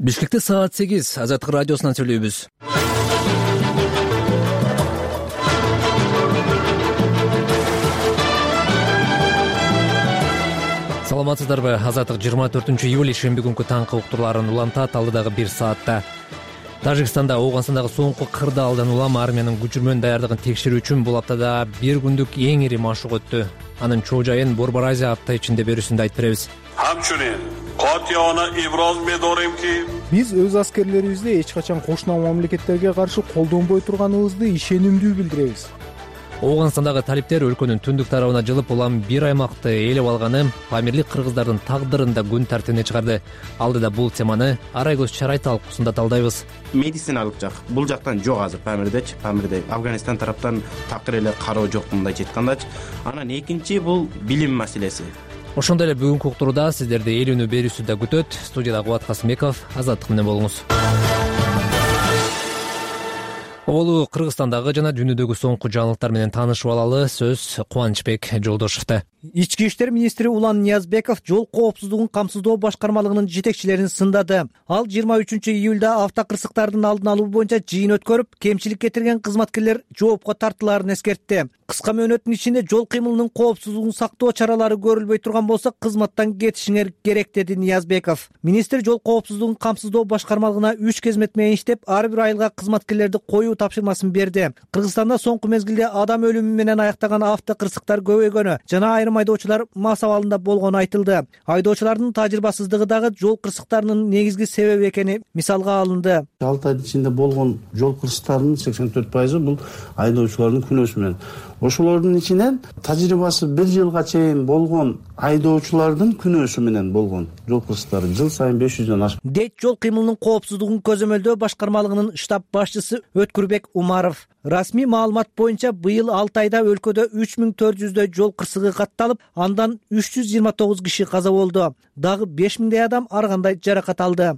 Бишкекте саат 8 Азаттык радиосунан сүйлөйбүз. Саламатсыздарбы? Азаттык 24-июль шемби күнкү таңкы уктурларын улантат алдыдагы 1 саатта. Тажикстанда Ооганстандагы соңку кырдаалдан улам армиянын көчүрмөн даярдыгын текшерүү үчүн бул аптада 1 күндүк эң ири машык өттү. Анын чоо жайын Борбор Азия апта ичинде берүүсүндө айтып беребиз. Биз өз аскерлерибизди эч качан кошуна мамлекеттерге каршы колдонбой турганыбызды ишенимдүү билдиребиз. Ооганстандагы талиптер өлкөнүн түндүк тарабына жылып, улам бир аймакты ээлеп алганы Памирлик кыргыздардын тагдырын да күн тартибине чыгарды. Алдыда бул теманы Арай көз чарай талкуусунда талдайбыз. Медициналык жак бул жактан жок азыр Памирде Афганистан тараптан такыр эле кароо жок мындайча айткандачы. Анан экинчи бул билим маселеси. Ошондой эле бүгүнкү уктурууда сиздерди ээлөнүү берүүсү күтөт. Студияда Кубат Касымбеков, Азаттык менен болуңуз. Оболу Кыргызстандагы жана дүйнөдөгү соңку жаңылыктар менен таанышып алалы. Сөз Кубанычбек Жолдошовдо. Ички иштер министри Улан Ниязбеков жол коопсуздугун камсыздоо башкармалыгынын жетекчилерин сындады. Ал 23-июлда автокырсыктардын алдын алуу боюнча жыйын өткөрүп, кемчилик кетирген кызматкерлер жоопко тартылаарын эскертти. Кыска мөөнөттүн ичинде жол кыймылынын коопсуздугун сактоо чаралары көрүлбөй турган болсо, кызматтан кетишиңер керек, деди Ниязбеков. Министр жол коопсуздугун камсыздоо башкармалыгына 3 кезмет менен иштеп, ар бир айылга кызматкерлерди коюу тапшырмасын берди. Кыргызстанда соңку мезгилде адам өлүмү менен аяктаган автокырсыктар көбөйгөнү жана айрым айдоочулар мас абалында болгону айтылды. Айдоочулардын тажрыйбасыздыгы дагы жол кырсыктарынын негизги себеби экени мисалга алынды. 6 айдын ичинде болгон жол кырсыктарынын 84% бул айдоочулардын күнөөсү менен. Ошолордун ичинен тажрыйбасы 1 жылга чейин болгон айдоочулардын күнөөсү менен болгон жол кырсыктары жыл сайын 500дөн ашып. Дейт жол кыймылынын коопсуздугун көзөмөлдөө башкармалыгынын штаб башчысы Өткүрбек Умаров. Расмий маалымат боюнча быйыл 6 айда өлкөдө 3400дөй жол кырсыгы катталып, андан 329 киши каза болду. Дагы 5000дей адам ар кандай жаракат алды.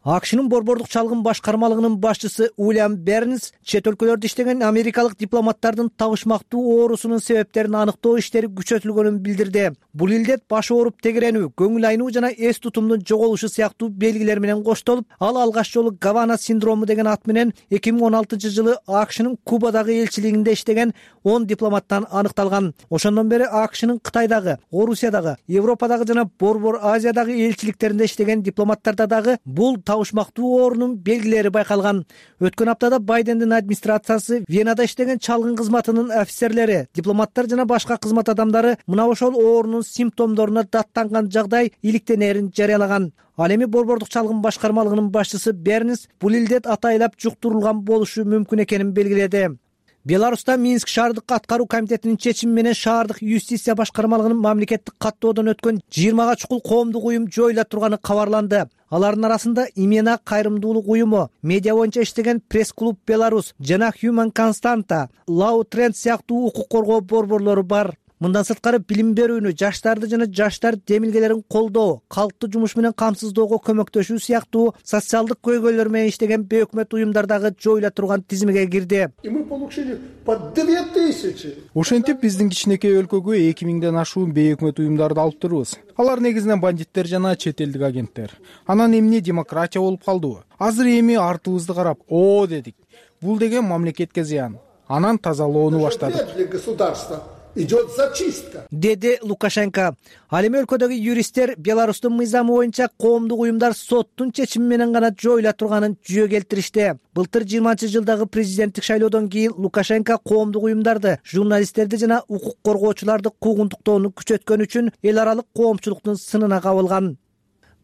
АКШнын борбордук чалгын башкармалыгынын башчысы Уильям Бернс чет өлкөлөрдө иштеген америкалык дипломаттардын табышмактуу оорусунун себептерин аныктоо иштери күчөтүлгөнүн билдирди. Бул илдет баш ооруп тегеренүү, көңүл айнуу жана эс тутумдун жоголушу сыяктуу белгилер менен коштолуп, ал алгач жолу Гавана синдрому деген ат менен 2016-жылы АКШнын Кубадагы элчилигинде иштеген 10 дипломаттан аныкталган. Ошондон бери АКШнын Кытайдагы, Орусиядагы, Европадагы жана Борбор Азиядагы элчиликтеринде иштеген дипломаттарда дагы бул табышмактуу оорунун белгилери байкалган. Өткөн аптада Байдендин администрациясы Венада иштеген чалгын кызматынын офицерлери, дипломаттар жана башка кызмат адамдары мына ошол оорунун симптомдоруна даттанган жагдай иликтенерин жарыялаган. Ал эми борбордук чалгын башкармалыгынын башчысы Бернс бул илдет атайлап жуктурулган болушу мүмкүн экенин белгиледи. Беларуста Минск шаардык аткаруу комитетинин чечими менен шаардык юстиция башкармалыгынын мамлекеттик каттоодон өткөн 20 чукул коомдук уюм жоюла турганы кабарланды. Алардын арасында Имена кайрымдуулук уюму, медиа боюнча иштеген Пресс-клуб Беларусь жана Human Constanta, Law Trend сыяктуу укук коргоо борборлору бар. Мындан сырткары билим берүүнү, жаштарды жана жаштар демилгелерин колдоо, калкты жумуш менен камсыздоого көмөктөшүү сыяктуу социалдык көйгөйлөр менен иштеген бейөкмөт уюмдар дагы жоюла турган тизимге кирди. Ошентип биздин кичинекей өлкөгө 2000ден ашуун бейөкмөт уюмдарды алып турбуз. Алар негизинен бандиттер жана чет элдик агенттер. Анан эмне демократия болуп калдыбы? Азыр эми артыбызды карап, о дедик. Бул деген мамлекетке зыян. Анан тазалоону баштадык. Идет зачистка, деди Лукашенко. Ал эми өлкөдөгү юристтер Беларустун мыйзамы боюнча коомдук уюмдар соттун чечими менен гана жоюла турганын жүйө келтиришти. Былтыр 20-жылдагы президенттик шайлоодон кийин Лукашенко коомдук уюмдарды, журналисттерди жана укук коргоочуларды куугунтуктоону күчөткөн үчүн эл аралык коомчулуктун сынына кабылган.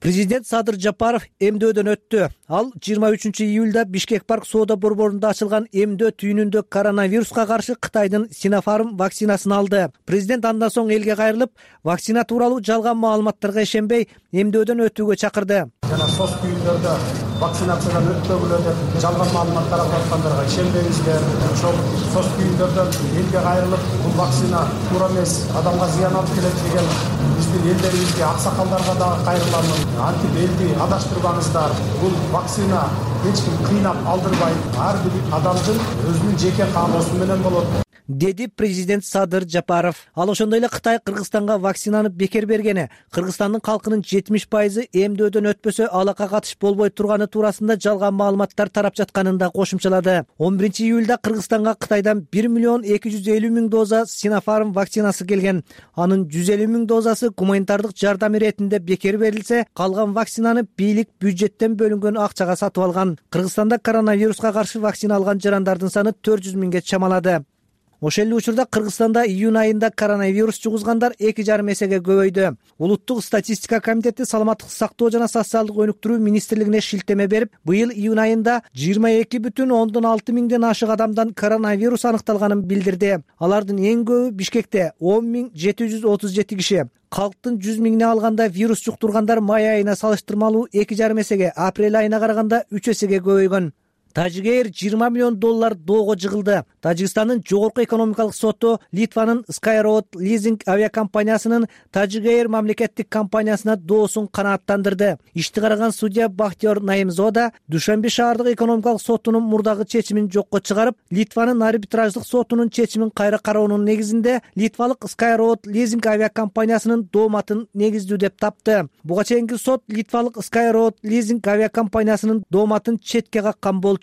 Президент Садыр Жапаров эмдөөдөн өттү. Ал 23-июлда Бишкек парк соода борборунда ачылган эмдөө түйүнүндө коронавируска каршы Кытайдын Синофарм вакцинасын алды. Президент андан соң элге кайрылып, вакцина тууралуу жалган маалыматтарга ишенбей, эмдөөдөн өтүүгө чакырды. Жана сос түйүндөрдө вакцинациядан өткөгүлө деп жалган маалымат тарап аткандарга ишенбеңиздер. Ошол сос түйүндөрдөн элге кайрылып, бул вакцина туура эмес, адамга зыян алып келет деген биздин элдерибизге, аксакалдарга дагы кайрыламын. Антип элди адаштырбаңыздар. Бул вакцина эч ким кыйнап алдырбайт. Ар бир адамдын өзүнүн жеке кааноосу менен болот. деди президент Садыр Жапаров. Ал ошондой эле Кытай Кыргызстанга вакцинаны бекер бергени, Кыргызстандын калкынын 70% эмдөөдөн өтпөсө алакка катыш болбой турганы туурасында жалган маалыматтар тарап жатканын да кошумчалады. 11 июлда Кыргызстанга Кытайдан 1,250,000 доза Sinopharm вакцинасы келген. Анын 150,000 дозасы гуманитардык жардам иретинде бекер берилсе, калган вакцинаны бийлик бюджеттен бөлүнгөн акчага сатып алган. Кыргызстанда коронавируска каршы вакцина алган жарандардын саны 400,000 чамалады. Ошол эле учурда Кыргызстанда июнь айында коронавирус жугузгандар 2,5 эсеге көбөйдү. Улуттук статистика комитети Саламаттык сактоо жана социалдык өнүктүрүү министрлигине шилтеме берип, быйыл июнь айында 22,6 миңден ашык адамдан коронавирус аныкталганын билдирди. Алардын эң көбү Бишкекте 10,737 киши. Калктын 100 миңине алганда вирус жуктургандар май айына салыштырмалуу 2,5 эсеге, апрель айына караганда 3 эсеге көбөйгөн. Тажигейр $20 миллион доого жыгылды. Тажикстандын жогорку экономикалык соту Литванын Skyroad Leasing авиакомпаниясынын Тажигейр мамлекеттик компаниясына доосун канааттандырды. Ишти караган судья Бахтиёр Наимзода Душанбе шаардык экономикалык сотунун мурдагы чечимин жокко чыгарып, Литванын арбитраждык сотунун чечимин кайра кароонун негизинде Литвалык Skyroad Leasing авиакомпаниясынын дооматын негиздүү деп тапты. Буга чейинки сот Литвалык Skyroad Leasing авиакомпаниясынын дооматын четке каккан болчу.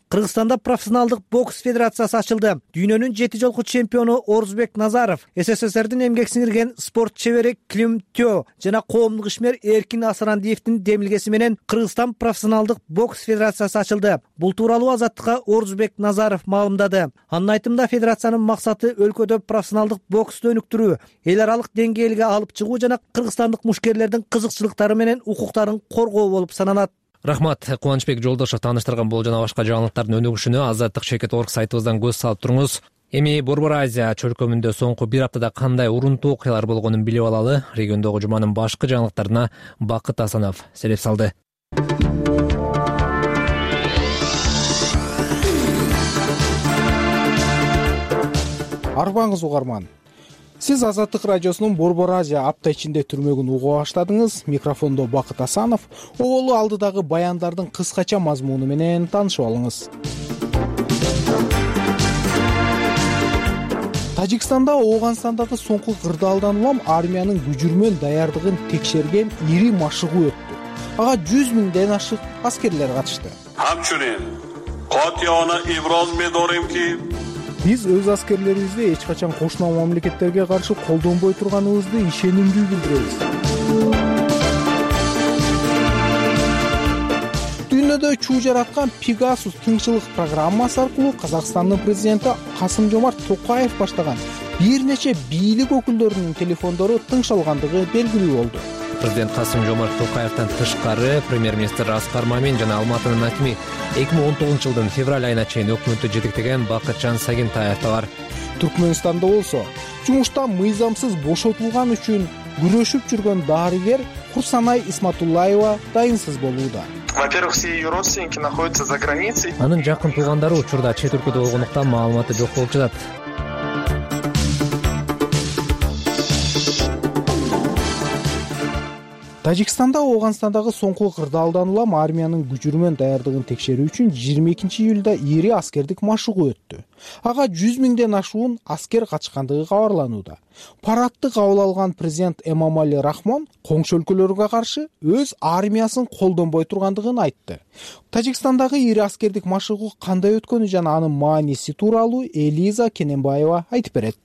Кыргызстанда профессионалдык бокс федерациясы ачылды. Дүйнөнүн 7 жолку чемпиону Орузбек Назаров, СССРдин эмгек сиңирген спорт чебери Клим Тё жана коомдук ишмер Эркин Асырандиевдин демилгеси менен Кыргызстан профессионалдык бокс федерациясы ачылды. Бул тууралуу Азаттыкка Орузбек Назаров маалымдады. Анын айтымында федерациянын максаты өлкөдө профессионалдык боксту өнүктүрүү, эл аралык деңгээлге алып чыгуу жана кыргызстандык мушкерлердин кызыкчылыктары менен укуктарын коргоо болуп саналат. Рахмат, Кубанычбек Жолдошов тааныштырган бул жана башка жаңылыктардын өнүгүшүнө Азаттык.org сайтыбыздан көз салып туруңуз. Эми Борбор Азия чөлкөмүндө соңку бир аптада кандай урунтуу окуялар болгонун билип алалы. Региондогу жуманын башкы жаңылыктарына Бакыт Асанов селеп салды. Арбаңыз угарман. Сиз Азаттык радиосунун Борбор Азия апта ичинде түрмөгүн уга баштадыңыз. Микрофондо Бакыт Асанов. Оголу алдыдагы баяндардын кыскача мазмуну менен таанышып алыңыз. Тажикстанда Ооганстандагы соңку кырдаалдан улам армиянын күжүрмөн даярдыгын текшерген ири машыгуу өттү. Ага 100 миңден ашык аскерлер катышты. Биз өз аскерлерибизди эч качан кошуна мамлекеттерге каршы колдонбой турганыбызды ишенимдүү билдиребиз. Дүйнөдө чуу жараткан Pegasus тыңчылык программасы аркылуу Казакстандын президенти Касым-Жомарт Токаев баштаган бир нече бийлик өкүлдөрүнүн телефондору тыңшалгандыгы белгилүү болду. Президент Касым-Жомарт Токаевден тышкары премьер-министр Аскар Мамин жана Алматынын акими 2019 жылдын февраль айына чейин өкмөттү жетектеген Бакытжан Сагентаев да бар. Түркмөнстанда болсо жумуштан мыйзамсыз бошотулган үчүн күрөшүп жүргөн дарыгер Курсанай Исматуллаева дайынсыз болууда. Во-первых, все ее родственники находятся за границей. Анын жакын туугандары учурда чет өлкөдө болгондуктан маалыматы жок болуп жатат. Тажикстанда Ооганстандагы соңку кырдаалдан улам армиянын күжүрмөн даярдыгын текшерүү үчүн 22 июлда ири аскердик машыгуу өттү. Ага 100 миңден ашуун аскер катышкандыгы кабарланууда. Парадты кабыл алган президент Эмомали Рахмон коңшу өлкөлөргө каршы өз армиясын колдонбой тургандыгын айтты. Тажикстандагы ири аскердик машыгуу кандай өткөнү жана анын мааниси тууралуу Элиза Кененбаева айтып берет.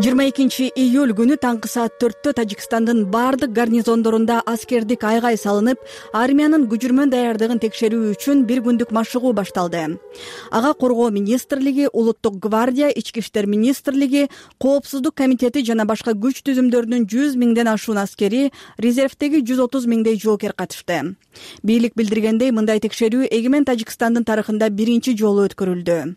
22 июль күнү таңкы саат 4-тө Тажикстандын бардык гарнизондорунда аскердик айгай салынып, армиянын күжүрмөн даярдыгын текшерүү үчүн бир күндүк машыгуу башталды. Ага Коргоо министрлиги, Улуттук гвардия, Ички иштер министрлиги, Коопсуздук комитети жана башка күч түзүмдөрүнүн 100 миңден ашуун аскери, резервдеги 130 миңдей жоокер катышты. Бийлик билдиргендей, мындай текшерүү эгемен Тажикстандын тарыхында биринчи жолу өткөрүлдү.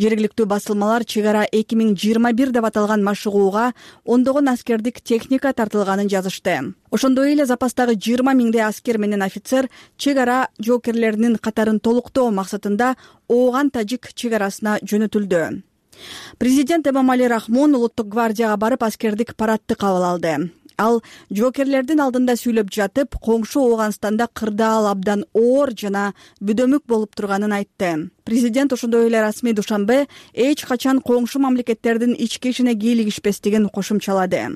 Жергиликтүү басылмалар чек ара 2021 деп аталган машыгууга ондогон аскердик техника тартылганын жазышты. Ошондой эле запастагы 20 миңдей аскер менен офицер чек ара жоокерлеринин катарын толуктоо максатында Ооган-Тажик чек арасына жөнөтүлдү. Президент Эмомали Рахмон Улуттук гвардияга барып аскердик парадты кабыл алды. Ал жоокерлердин алдында сүйлөп жатып, коңшу Ооганстанда кырдаал абдан оор жана бүдөмүк болуп турганын айтты. Президент ошондой эле расмий душанбе эч качан коңшу мамлекеттердин ички ишине кийлигишпестигин кошумчалады.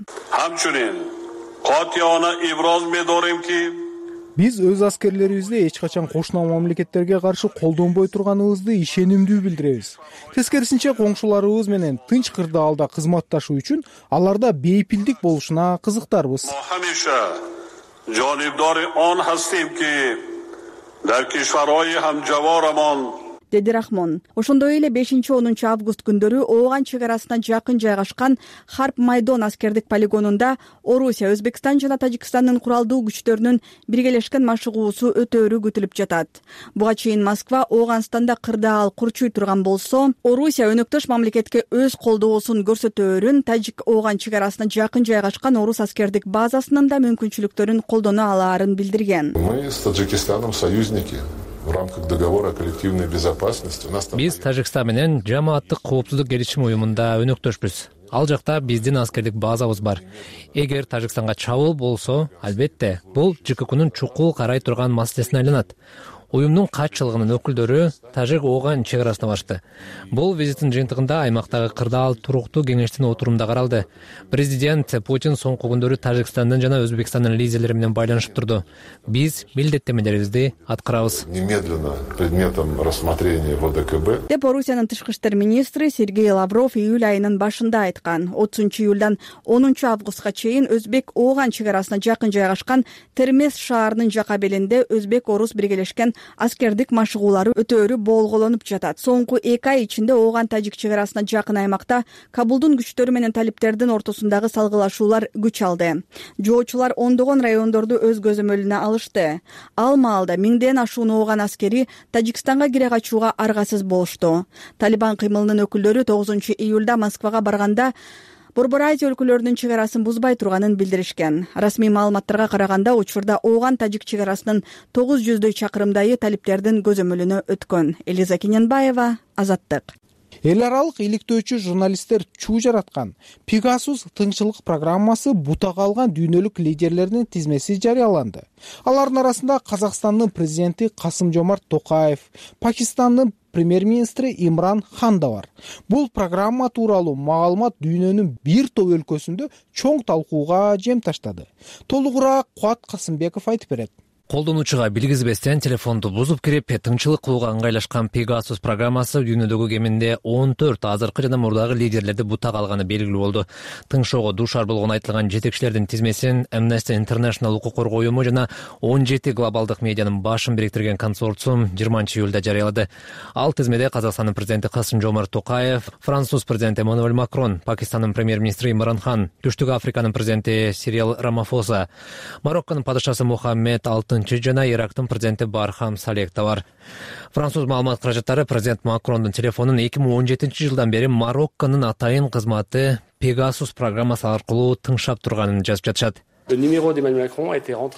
Биз өз аскерлерибизди эч качан кошуна мамлекеттерге каршы колдонбой турганыбызды ишенимдүү билдиребиз. Тескерисинче, коңшуларыбыз менен тынч кырдаалда кызматташуу үчүн аларда бейпилдик болушуна кызыктарбыз. Деди Рахмон. Ошондой эле 5-10 август күндөрү Ооган чек арасына жакын жайгашкан Харп Майдон аскердик полигонунда Орусия, Өзбекстан жана Тажикстандын куралдуу күчтөрүнүн биргелешкен машыгуусу өтөөрү күтүлүп жатат. Буга чейин Москва Ооганстанда кырдаал курчуй турган болсо, Орусия өнөктөш мамлекетке өз колдоосун көрсөтөөрүн Тажик-Ооган чек арасына жакын жайгашкан орус аскердик базасынын да мүмкүнчүлүктөрүн колдоно алаарын билдирген. Мы с Таджикистаном союзники. В рамках договора о коллективной безопасности Биз Тажикстан менен жамааттык коопсуздук келишими уюмунда өнөктөшпүз. Ал жакта биздин аскердик базабыз бар. Эгер Тажикстанга чабуул болсо, албетте, бул ЖККнун чукул карай турган маселесине айланат. Уюмдун катчылыгынын өкүлдөрү Тажик-Ооган чек арасына барышты. Бул визиттин жыйынтыгында аймактагы кырдаал туруктуу кеңештин отурумунда каралды. Президент Путин соңку күндөрү Тажикстандын жана Өзбекстандын лидерлери менен байланышып турду. Биз милдеттенмелерибизди аткарабыз. Немедленно предметом рассмотрения в ОДКБ. Деп Орусиянын тышкы иштер министри Сергей Лавров июль айынын башында айткан. 30-июлдан 10-августка чейин Өзбек-Ооган чек арасына жакын жайгашкан Термес шаарынын жака белинде өзбек-орус биргелешкен аскердик машыгуулары өтөөрү болголонуп жатат. Соңку 2 ай ичинде Ооган-Тажик чек арасына жакын аймакта Кабулдун күчтөрү менен талиптердин ортосундагы салгылашуулар күч алды. Жоочулар ондогон райондорду өз көзөмөлүнө алышты. Ал маалда миңден ашуун Ооган аскери Тажикстанга кире качууга аргасыз болушту. Талибан кыймылынын өкүлдөрү 9-июлда Москвага барганда Борбор Азия өлкөлөрүнүн чек арасын бузбай турганын билдиришкен. Расмий маалыматтарга караганда, учурда Ооган-Тажик чек арасынын 900 чакырымдайы талиптердин көзөмөлүнө өткөн. Элиза Кененбаева, Азаттык. Эл аралык иликтөөчү журналисттер чуу жараткан Пегасус тынччылык программасы бутак алган дүйнөлүк лидерлердин тизмеси жарыяланды. Алардын арасында Казакстандын президенти Касым-Жомарт Токаев, Пакистандын премьер-министри Имран Хан да бар. Бул программа тууралуу маалымат дүйнөнүн бир топ өлкөсүндө чоң талкууга жем таштады. Толугураак Куат Касымбеков айтып берет. Колдонуучуга билгизбестен телефонду бузуп кирип, тыңчылык кылууга ыңгайлашкан Пегасус программасы дүйнөдөгү кеминде 14 азыркы жана мурдагы лидерлерди бутак алганы белгилүү болду. Тыңшоого дуушар болгон айтылган жетекчилердин тизмесин Amnesty International укук коргоо уюму жана 17 глобалдык медианын башын бириктирген консорциум 20-июлда жарыялады. Ал тизмеде Казакстандын президенти Касым-Жомарт Токаев, Француз президенти Эммануэль Макрон, Пакистандын премьер-министри Имран Хан, Түштүк Африканын президенти Сирил Рамафоса, Марокконун падышасы Мухаммед жана Ирактын президенти Бархам Салех да бар. Француз маалымат каражаттары президент Макрондун телефонун 2017-жылдан бери Марокконун атайын кызматы Пегасус программасы аркылуу тыңшап турганын жазып жатышат.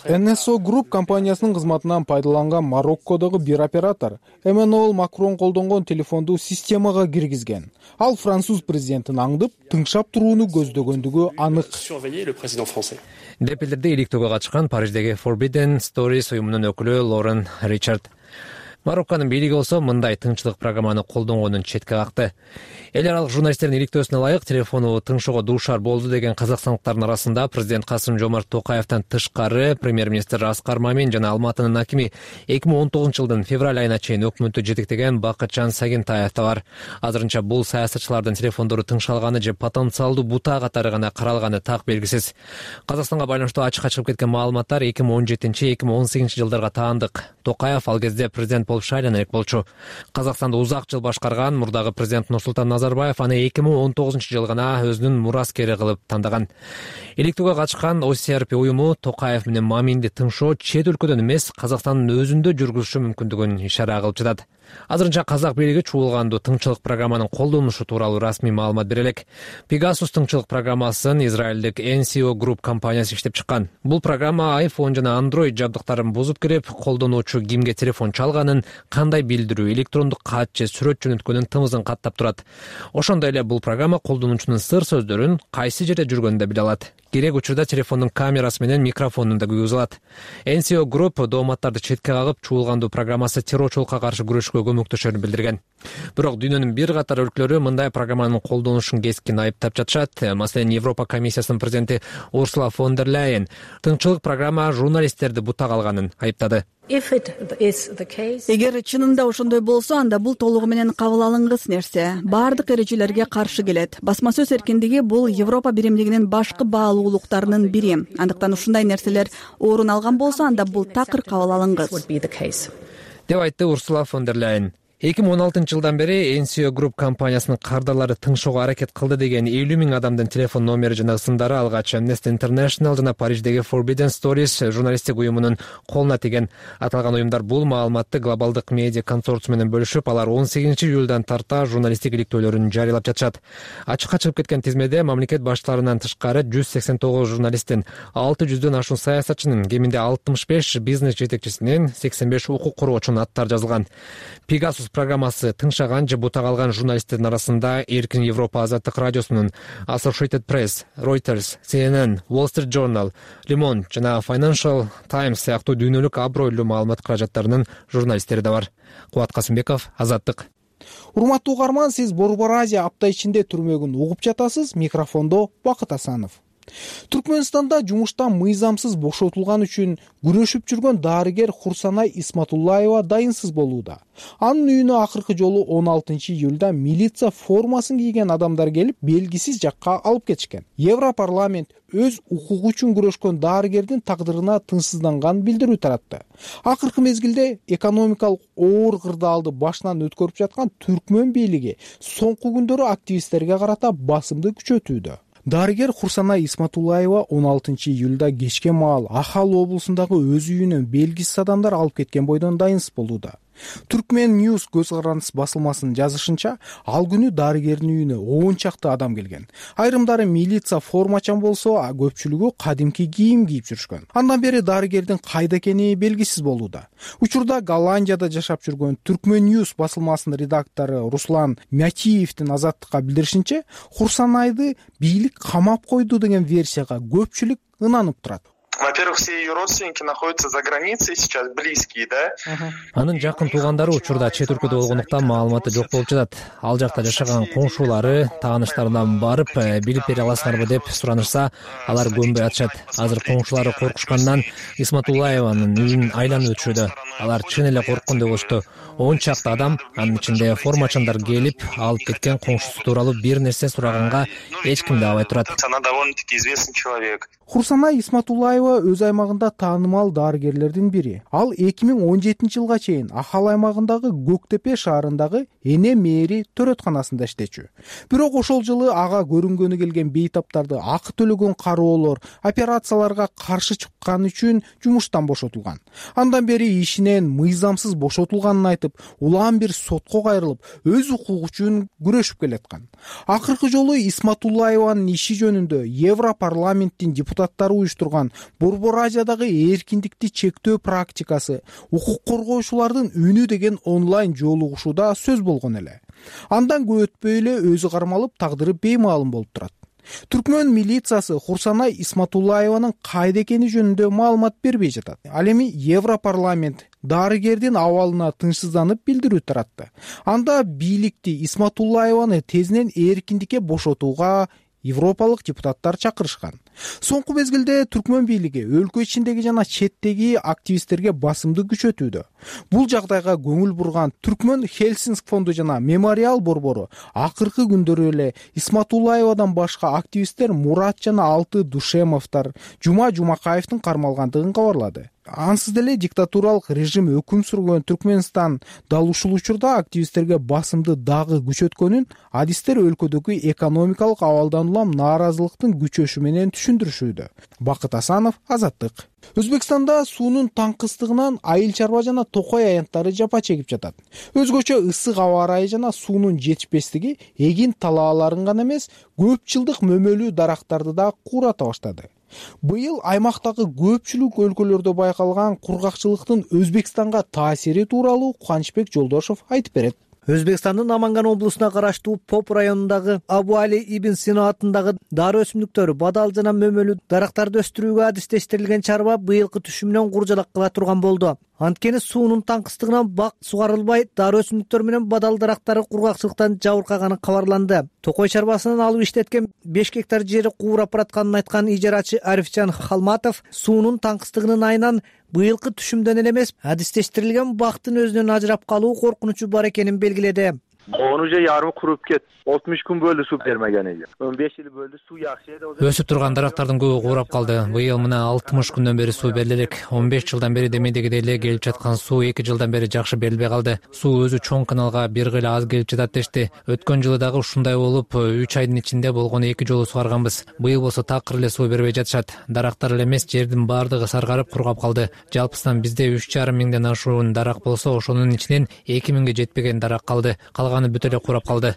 NSO Group компаниясынын кызматынан пайдаланган Мароккодогу бир оператор Эммануэль Макрон колдонгон телефонду системага киргизген. Ал француз президентин аңдып, тыңшап турууну көздөгөндүгү анык. Деп билдирди иликтөөгө катышкан Париждеги Forbidden Stories уюмунун өкүлү Лорен Ричард. Марокконун бийлиги болсо мындай тыңчылык программаны колдонгонун четке какты. Эл аралык журналисттердин иликтөөсүнө ылайык телефону тыңшоого дуушар болду деген казакстандыктардын арасында президент Касым-Жомарт Токаевден тышкары премьер-министр Аскар Мамин жана Алматынын акими 2019-жылдын февраль айына чейин өкмөттү жетектеген Бакытжан Сагентаев да бар. Азырынча бул саясатчылардын телефондору тыңшалганы же потенциалдуу бута катары гана каралганы так белгисиз. Казакстанга байланыштуу ачыкка чыгып кеткен маалыматтар 2017-2018 жылдарга таандык. Токаев ал кезде президент болуп шайлана элек болчу. Казакстанды узак жыл башкарган мурдагы президент Нурсултан Назарбаев аны 2019-жылы гана өзүнүн мураскери кылып тандаган. Иликтөөгө катышкан OCRP уюму Токаев менен Маминди тыңшоо чет өлкөдөн эмес, Казакстандын өзүндө жүргүзүшү мүмкүндүгүн ишара кылып жатат. Азырынча казак бийлиги чуулгандуу тыңчылык программанын колдонулушу тууралуу расмий маалымат бере элек. Пегасус тыңчылык программасын израилдик NCO Group компаниясы иштеп чыккан. Бул программа iPhone жана Android жабдыктарын бузуп кирип, колдонуучу кимге телефон чалганын, кандай билдирүү, электрондук кат же сүрөт жөнөткөнүн тымызын каттап турат. Ошондой эле бул программа колдонуучунун сыр сөздөрүн кайсы жерде жүргөнүн да биле алат. керек учурда телефондун камерасы менен микрофонун да күйгүзө алат. NCO Group дооматтарды четке кагып, чуулгандуу программасы террорчулукка каршы күрөшкө көмөктөшөрүн билдирген. Бирок дүйнөнүн бир катар өлкөлөрү мындай программанын колдонулушун кескин айыптап жатышат. Маселен, Европа комиссиясынын президенти Урсула фон дер Ляйен тыңчылык программа журналисттерди бута калганын айыптады. Эгер чынында ошондой болсо, анда бул толугу менен кабыл алынгыс нерсе. Баардык эрежелерге каршы келет. Басма сөз эркиндиги бул Европа биримдигинин башкы баалуулуктарынын бири. Андыктан ушундай нерселер орун алган болсо, анда бул такыр кабыл алынгыс, деп айтты Урсула фон дер Ляйен. 2016 жылдан бери NCO Group компаниясынын кардарлары тыңшоого аракет кылды деген 50 000 адамдын телефон номери жана ысымдары алгач Amnesty International жана Париждеги Forbidden Stories журналисттик уюмунун колуна тийген. Аталган уюмдар бул маалыматты глобалдык медиа консорциум менен бөлүшүп, алар 18 июлдан тарта журналисттик иликтөөлөрүн жарыялап жатышат. Ачыкка чыгып кеткен тизмеде мамлекет баштарынан тышкары 189 журналисттин, 600дөн ашуун саясатчынын, кеминде 65 бизнес жетекчисинин, 85 укук короочунун аттары жазылган. Pegasus программасы тыңшаган же бута калган журналисттердин арасында Эркин Европа азаттык радиосунун, Associated Press, Reuters, CNN, Wall Street Journal, Le Monde жана Financial Times сыяктуу дүйнөлүк абройлуу маалымат каражаттарынын журналисттери да бар. Кубат Касымбеков, Азаттык. Урматтуу угарман, сиз Борбор Азия апта ичинде түрмөгүн угуп жатасыз. Микрофондо Бакыт Асанов. Түркмөнстанда жумуштан мыйзамсыз бошотулган үчүн күрөшүп жүргөн дарыгер Хурсанай Исматуллаева дайынсыз болууда. Анын үйүнө акыркы жолу 16 июлда милиция формасын кийген адамдар келип, белгисиз жакка алып кетишкен. Европарламент өз укугу үчүн күрөшкөн дарыгердин тагдырына тынчсызданган билдирүү таратты. Акыркы мезгилде экономикалык оор кырдаалды башынан өткөрүп жаткан Түркмөн бийлиги соңку күндөрү активисттерге карата басымды күчөтүүдө. Дарыгер Хурсанай Исматуллаева 16 июлда кечке маал Ахал облусундагы өз үйүнөн белгисиз адамдар алып кеткен бойдон дайынсыз болууда. Түркмен News көз карандыс басылмасынын жазышынча, ал күнү дарыгердин үйүнө 10 чакты адам келген. Айрымдары милиция формачан болсо, көпчүлүгү кадимки кийим кийип жүрүшкөн. Андан бери дарыгердин кайда экени белгисиз болууда. Учурда Голландияда жашап жүргөн Түркмен News басылмасынын редактору Руслан Мятиевдин Азаттыкка билдиришинче, Хурсанайды бийлик камап койду деген версияга көпчүлүк ынанып турат. Во-первых, все ее родственники находятся за границей сейчас, близкие, да? Анын жакын туугандары учурда чет өлкөдө болгондуктан маалыматы жок болуп жатат. Ал жакта жашаган коңшулары, тааныштарынан барып, билип бере аласыңарбы деп суранышса, алар көнбөй атышат. Азыр коңшулары коркушкандан Исматуллаеванын үйүн айланып өтүшүүдө. Алар чын эле корккон деп болушту. 10 чакты адам, анын ичинде формачандар келип, алып кеткен коңшусу тууралуу бир нерсе сураганга эч ким да абай турат. Она довольно-таки известный человек. Хурсанай Исматуллаева өз аймагында таанымал дарыгерлердин бири. Ал 2017 жылга чейин Ахал аймагындагы Көктепе шаарындагы Эне Мээри төрөтканасында иштечү. Бирок ошол жылы ага көрүнгөнү келген бейтаптарды акы төлөгөн кароолор операцияларга каршы чыккан үчүн жумуштан бошотулган. Андан бери ишинен мыйзамсыз бошотулганын айтып, улам бир сотко кайрылып, өз укугу үчүн күрөшүп келаткан. Акыркы жолу Исматуллаеванын иши жөнүндө Европарламенттин депутаттары уюштурган Борбор Азиядагы эркиндикти чектөө практикасы, укук коргоочулардын үнү деген онлайн жолугушууда сөз болгон эле. Андан көп өтпөй эле өзү кармалып, тагдыры беймаалым болуп турат. Түркмөн милициясы Хурсанай Исматуллаеванын кайда экени жөнүндө маалымат бербей жатат. Ал эми Европарламент дарыгердин абалына тынчсызданып билдирүү таратты. Анда бийликти Исматуллаеваны тезинен эркиндикке бошотууга европалык депутаттар чакырышкан. Соңку мезгилде Түркмөн бийлиги өлкө ичиндеги жана четтеги активисттерге басымды күчөтүүдө. Бул жагдайга көңүл бурган Түркмөн Хельсинки фонду жана Мемориал борбору акыркы күндөрү эле Исматуллаевадан башка активисттер Мурат жана Алты Душемовдор, Жума Жумакаевдин кармалгандыгын кабарлады. Ансыз деле диктатуралык режим өкүм сүргөн Түркмөнстан дал ушул учурда активисттерге басымды дагы күчөткөнүн адистер өлкөдөгү экономикалык абалдан улам нааразылыктын күчөшү менен түшүндүрүшүүдө. Бакыт Асанов, Азаттык. Өзбекстанда суунун таңкыстыгынан айыл чарба жана токой аянттары жапа чегип жатат. Өзгөчө ысык аба ырайы жана суунун жетишпестиги эгин талааларын гана эмес, көп жылдык мөмөлүү дарактарды да куурата баштады. Быйыл аймактагы көпчүлүк өлкөлөрдө байкалган кургакчылыктын Өзбекстанга таасири тууралуу Кубанычбек Жолдошов айтып берет. Өзбекстандын Наманган облусуна караштуу Поп районундагы Абу Али ибн Сина атындагы дары өсүмдүктөр, бадал жана мөмөлүү дарактарды өстүрүүгө адистештирилген чарба быйылкы түшүмүнөн куржалак кыла турган болду. Анткени суунун таңкыстыгынан бак сугарылбай, дары өсүмдүктөр менен бадал дарактары кургакчылыктан жабыркаганы кабарланды. Токой чарбасынан алып иштеткен 5 гектар жери куурап баратканын айткан ижарачы Арифжан Халматов суунун таңкыстыгынын айынан быйылкы түшүмдөн эле эмес, адистештирилген бактын өзүнөн ажырап калуу коркунучу бар экенин белгиледи. Он уже ярымы куруп кетти. 60 күн бөлдү суу бермеген экен. 15 жыл бөлдү, суу жакшы эле. Өсүп турган дарактардын көбү куурап калды. Быйыл мына 60 күндөн бери суу бериле элек. 15 жылдан бери демейдегидей эле келип жаткан суу 2 жылдан бери жакшы берилбей калды. Суу өзү чоң каналга бир гыйла аз келип жатат дешти. Өткөн жылы дагы ушундай болуп, 3 айдын ичинде болгону 2 жолу сугарганбыз. Быйыл болсо такыр эле суу бербей жатышат. Дарактар эле эмес, жердин баардыгы саргарып кургап калды. Жалпысынан бизде 3,5 миңден ашуун дарак болсо, ошонун ичинен 2 миңге жетпеген дарак калды. Калганы бүт эле курап калды.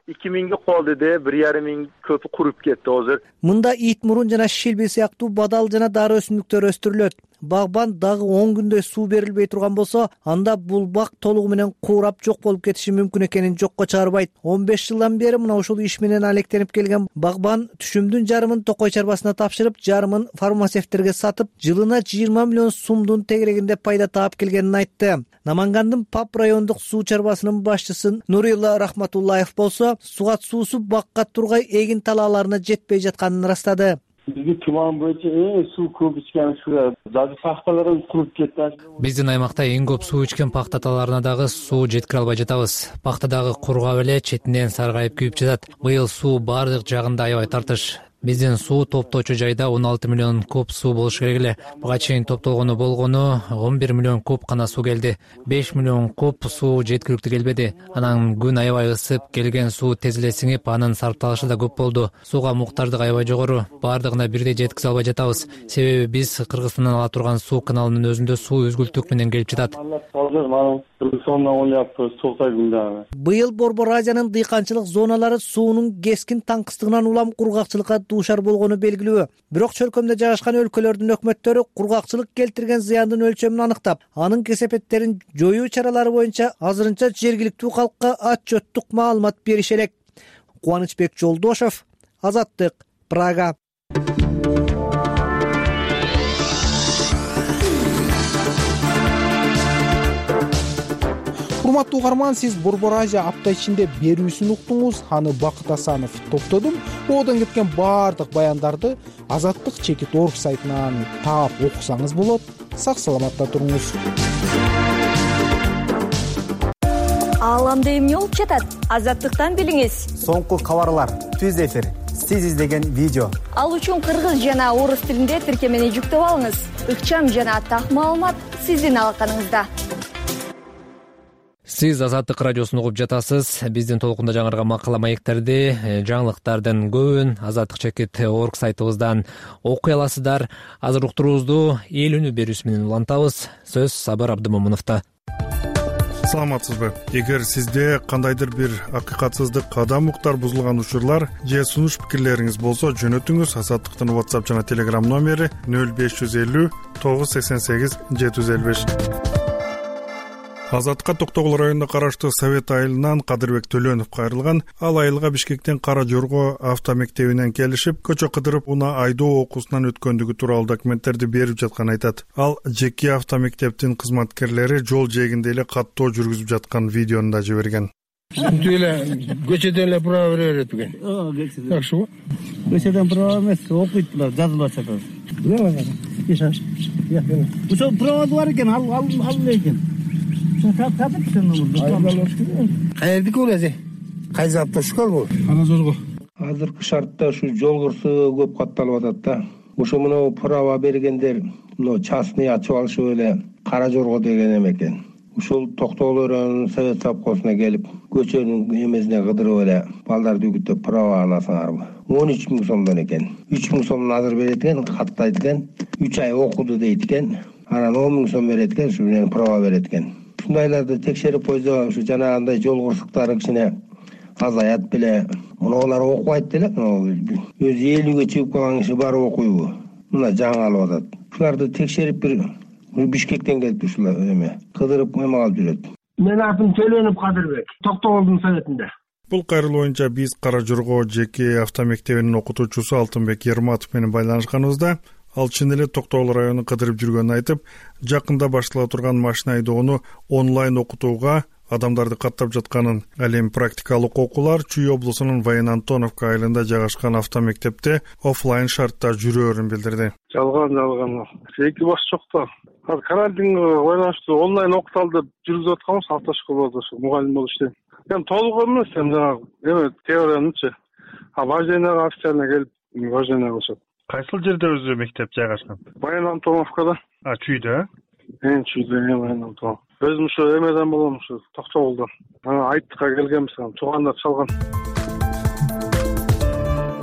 2 миңге колду де 1,5 миң көпү куруп кетти азыр. Мында ит мурун жана шилби сыяктуу бадал жана дары өсүмдүктөр өстүрүлөт. Багбан дагы 10 күндөй суу берилбей турган болсо, анда бул бак толугу менен куурап жок болуп кетиши мүмкүн экенин жокко чыгарбайт. 15 жылдан бери мына ушул иш менен алектенип келген багбан түшүмдүн жарымын Токой чарбасына тапшырып, жарымын фармацевттерге сатып, жылына 20 миллион сумдун тегерегинде пайда таап келгенин айтты. Намангандын Пап райондук суу чарбасынын башчысы Нурилла Рахматуллаев болсо, сугат суусу бакка тургай эгин талааларына жетпей жатканын ырастады. Бизде туман боюнча суу көп ичкен жазы пахталар куруп кетти. Биздин аймакта эң көп суу ичкен пахта талааларына дагы суу жеткире албай жатабыз. Пахта дагы кургап эле четинен саргайып күйүп жатат. Быйыл суу баардык жагында аябай тартыш. Биздин суу топтоочу жайда 16 миллион куб суу болуш керек эле. Буга чейин топтолгону болгону 11 миллион куб гана суу келди. 5 миллион куб суу жеткиликтүү келбеди. Анан күн аябай ысып, келген суу тез эле сиңип, анын сарпталышы да көп болду. Сууга муктаждык аябай жогору. Баардыгына бирдей жеткизе албай жатабыз. Себеби биз Кыргызстандан ала турган суу каналынын өзүндө суу үзгүлтүк менен келип жатат. Быйыл Борбор Азиянын дыйканчылык зоналары суунун кескин таңкыстыгынан улам кургакчылыкка дуушар болгону белгилүү. Бирок чөлкөмдө жайгашкан өлкөлөрдүн өкмөттөрү кургакчылык келтирген зыяндын өлчөмүн аныктап, анын кесепеттерин жоюу чаралары боюнча азырынча жергиликтүү калкка отчеттук маалымат бериши элек. Кубанычбек Жолдошов, Азаттык, Прага. Урматтуу угарман, сиз Борбор Азия апта ичинде берүүсүн уктуңуз. Аны Бакыт Асанов топтодум. Одон кеткен баардык баяндарды Азаттык.org сайтынан таап окусаңыз болот. Сак саламатта туруңуз. Ааламда эмне болуп жатат? Азаттыктан билиңиз. Соңку кабарлар, түз эфир, сиз издеген видео. Ал үчүн кыргыз жана орус тилинде тиркемени жүктөп алыңыз. Ыкчам жана так маалымат сиздин алаканыңызда. Сиз Азаттык радиосун угуп жатасыз. Биздин толкунда жаңырган макала маектерди, жаңылыктардын көбүн Азаттык.org сайтыбыздан окуй аласыздар. Азыр уктуруубузду эл үнү берүүсү менен улантабыз. Сөз Сабыр Абдымомуновдо. Саламатсызбы? Эгер сизде кандайдыр бир акыйкатсыздык, кадам уктар бузулган учурлар же сунуш пикирлериңиз болсо, жөнөтүңүз. Азаттыктын WhatsApp жана Telegram номери 0550 988 755. Азаттыкка Токтогул районуна караштуу Совет айылынан Кадырбек Төлөнов кайрылган. Ал айылга Бишкектен Кара Жорго автомектебинен келишип, көчө кыдырып уна айдоо окуусунан өткөндүгү тууралуу документтерди берип жатканын айтат. Ал жеке автомектептин кызматкерлери жол жээгинде эле каттоо жүргүзүп жаткан видеону да жиберген. Түү эле көчөдөн эле права бере берет экен. Жакшыбы? Көчөдөн права эмес, окуйт булар, жазылып жатат. Ошо права бар экен, ал экен. Каердики бул эже? Кайсы автошкол бул? Кара Жорго. Азыркы шартта ушу жол кырсыгы көп катталып атат да. Ошо мына права бергендер мына частный ачып алышып эле Кара Жорго деген экен. Ушул Токтогул районунун совет совхозуна келип, көчөнүн эмесине кыдырып эле балдарды үгүттөп права аласыңарбы? 13 миң сомдон экен. 3 миң сомун азыр берет экен, каттайт экен. 3 ай окуду дейт экен. Анан 10 миң сом берет экен, ушу менен права берет экен. Ушундайларды текшерип койсо, ушу жанагындай жол кырсыктары кичине азаят беле. Мунулар окубайт деле, өзү 50ге чыгып калган киши бары окуйбу? Мына жаңы алып атат. Ушуларды текшерип бир Бишкектен келип ушулар эме кыдырып эме калып жүрөт. Менин атым Төлөнов Кадырбек, Токтогулдун советинде. Бул кайрылуу боюнча биз Кара Жорго жеке автомектебинин окутуучусу Алтынбек Ерматов менен байланышканыбызда ал чын эле Токтогул районун кыдырып жүргөнүн айтып, жакында баштала турган машина айдоону онлайн окутууга адамдарды каттап жатканын, ал эми практикалык окуулар Чүй облусунун Ваян Антоновка айылында жайгашкан автомектепте оффлайн шартта жүрөөрүн билдирди. Жалган. Эки баш жок да. Азыр карантинге байланыштуу онлайн окуталды деп жүргүзүп атканбыз автошколада, ошо мугалим болуп иштейм. Эми толук эмес, эми теориянычы. Вождениеге официально келип, вождение кылышат. Кайсыл жерде өзү мектеп жайгашкан? Ваян Антоновкада. Чүйдө? Чүйдө, Ваян Антонов. Өзүм ушу эмеден болом, ушу Токтогулдан. Айттыкка келгенбиз, туугандар чалган.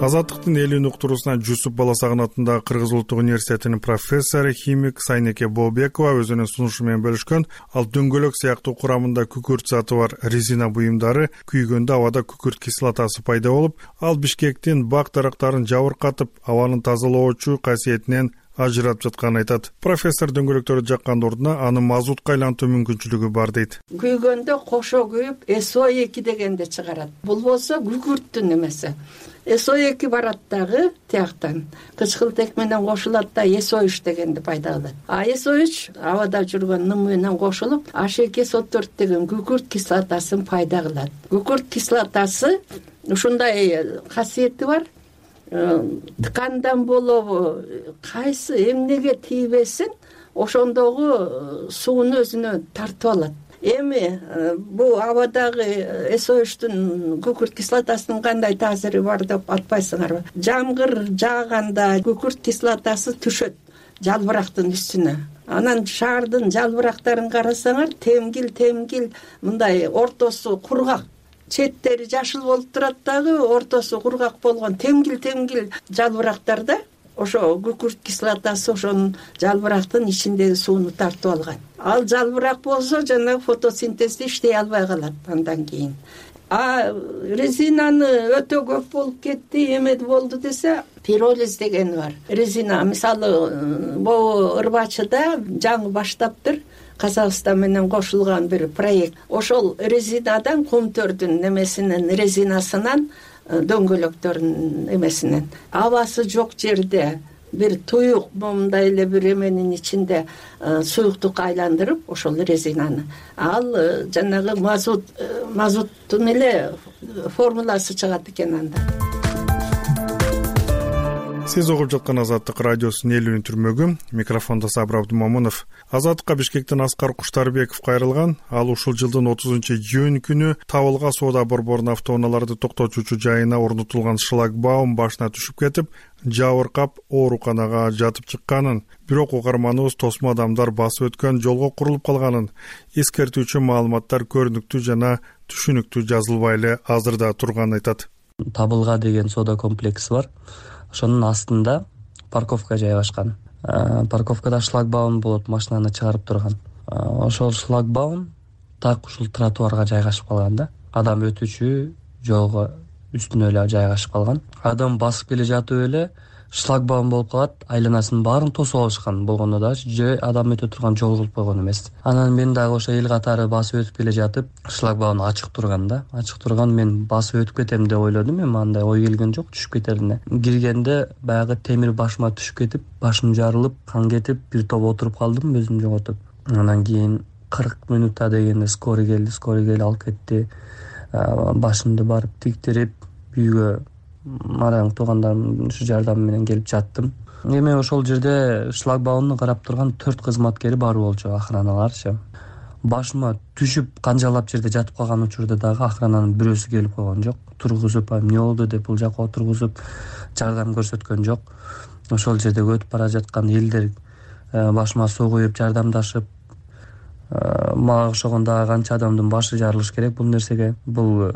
Азаттыктын элүүнү уктуруусуна Жусуп Баласагын атындагы Кыргыз улуттук университетинин профессору, химик Сайнеке Бообекова өзүнүн сунушу менен бөлүшкөн. Ал дөңгөлөк сыяктуу курамында күкүрт заты бар резина буюмдары күйгөндө абада күкүрт кислотасы пайда болуп, ал Бишкектин бак дарактарын жабыркатып, абанын тазалоочу касиетинен ажыратып жатканын айтат. Профессор дөңгөлөктөрдү жаккан ордуна аны мазутка айлантуу мүмкүнчүлүгү бар дейт. Күйгөндө кошо күйүп SO2 дегенди чыгарат. Бул болсо күкүрттүн эмеси. SO2 барат дагы тияктан. Кычкылтек менен кошулат да SO3 дегенди пайда кылат. SO3 абада жүргөн ным менен кошулуп, H2SO4 деген күкүрт кислотасын пайда кылат. Күкүрт кислотасы ушундай касиети бар. Ткандан болобу, кайсы эмнеге тийбесин, ошондогу сууну өзүнө тартып алат. Эми бул абадагы SO3-тун күкүрт кислотасынын кандай таасири бар деп атпайсыңарбы? Жамгыр жааганда күкүрт кислотасы түшөт жалбырактын үстүнө. Анан шаардын жалбырактарын карасаңар, темгил мындай ортосу кургак. Четтери жашыл болуп турат дагы, ортосу кургак болгон темгил жалбырактарда ошо күкүрт кислотасы ошонун жалбырактын ичиндеги сууну тартып алган. Ал жалбырак болсо жана фотосинтезди иштей албай калат андан кийин. Резинаны өтө көп болуп кетти, эме болду десе, пиролиз деген бар. Резина, мисалы, могу Ырбачыда жаңы баштаптыр. Казакстан менен кошулган бир проект. Ошол резинадан кумтөрдүн немесинен, резинасынан, дөңгөлөктөрүнүн эмесинен. Абасы жок жерде бир туюк момундай эле бир эменин ичинде суюктукка айландырып, ошол резинаны. Ал жанагы мазуттун эле формуласы чыгат экен анда. Сиз угуп жаткан Азаттык радиосунун элүүнү түрмөгү, микрофондо Сабыр Абдумамунов. Азаттыкка Бишкектен Аскар Куштарбеков кайрылган. Ал ушул жылдын 30-июнь күнү Табылга соода борборунун автоунааларды токтотуучу жайына орнотулган шлагбаум башына түшүп кетип, жабыркап ооруканага жатып чыкканын, бирок угарманыбыз тосмо адамдар басып өткөн жолго курулуп калганын, эскертүүчү маалыматтар көрүнүктүү жана түшүнүктүү жазылбай эле азырда турганын айтат. Табылга деген соода комплекси бар. Ошонун астында парковка жайгашкан. Парковкада шлагбаум болот, машинаны чыгарып турган. Ошол шлагбаум так ушул тротуарга жайгашып калган да. Адам өтүүчү жолго үстүнө эле жайгашып калган. Адам басып келе жатып эле шлагбаум болуп калат, айланасынын баарын тосуп алышкан болгондо да же адам өтө турган жол кылып койгон эмес. Анан мен дагы ошо эл катары басып өтүп келе жатып, шлагбаум ачык турган да. Ачык турган, мен басып өтүп кетем деп ойлодум, эми андай ой келген жок, түшүп кетерине. Киргенде баягы темир башыма түшүп кетип, башым жарылып, кан кетип, бир топ отуруп калдым, өзүмдү жоготуп. Андан кийин 40 минутта дегенде скорый келип алып кетти. Башымды барып тиктирип, үйгө мараң туугандарымдын жардамы менен келип жаттым. Эми ошол жерде шлагбаумду карап турган 4 кызматкери бар болчу, охраналарчы. Башыма түшүп канжалап жерде жатып калган учурда дагы охрананын бирөөсү келип койгон жок. Тургузуп, эмне болду деп бул жака отургузуп, жардам көрсөткөн жок. Ошол жерде өтүп бара жаткан элдер башыма суу куюп жардамдашып, мага окшогон дагы канча адамдын башы жарылыш керек бул нерсеге. Бул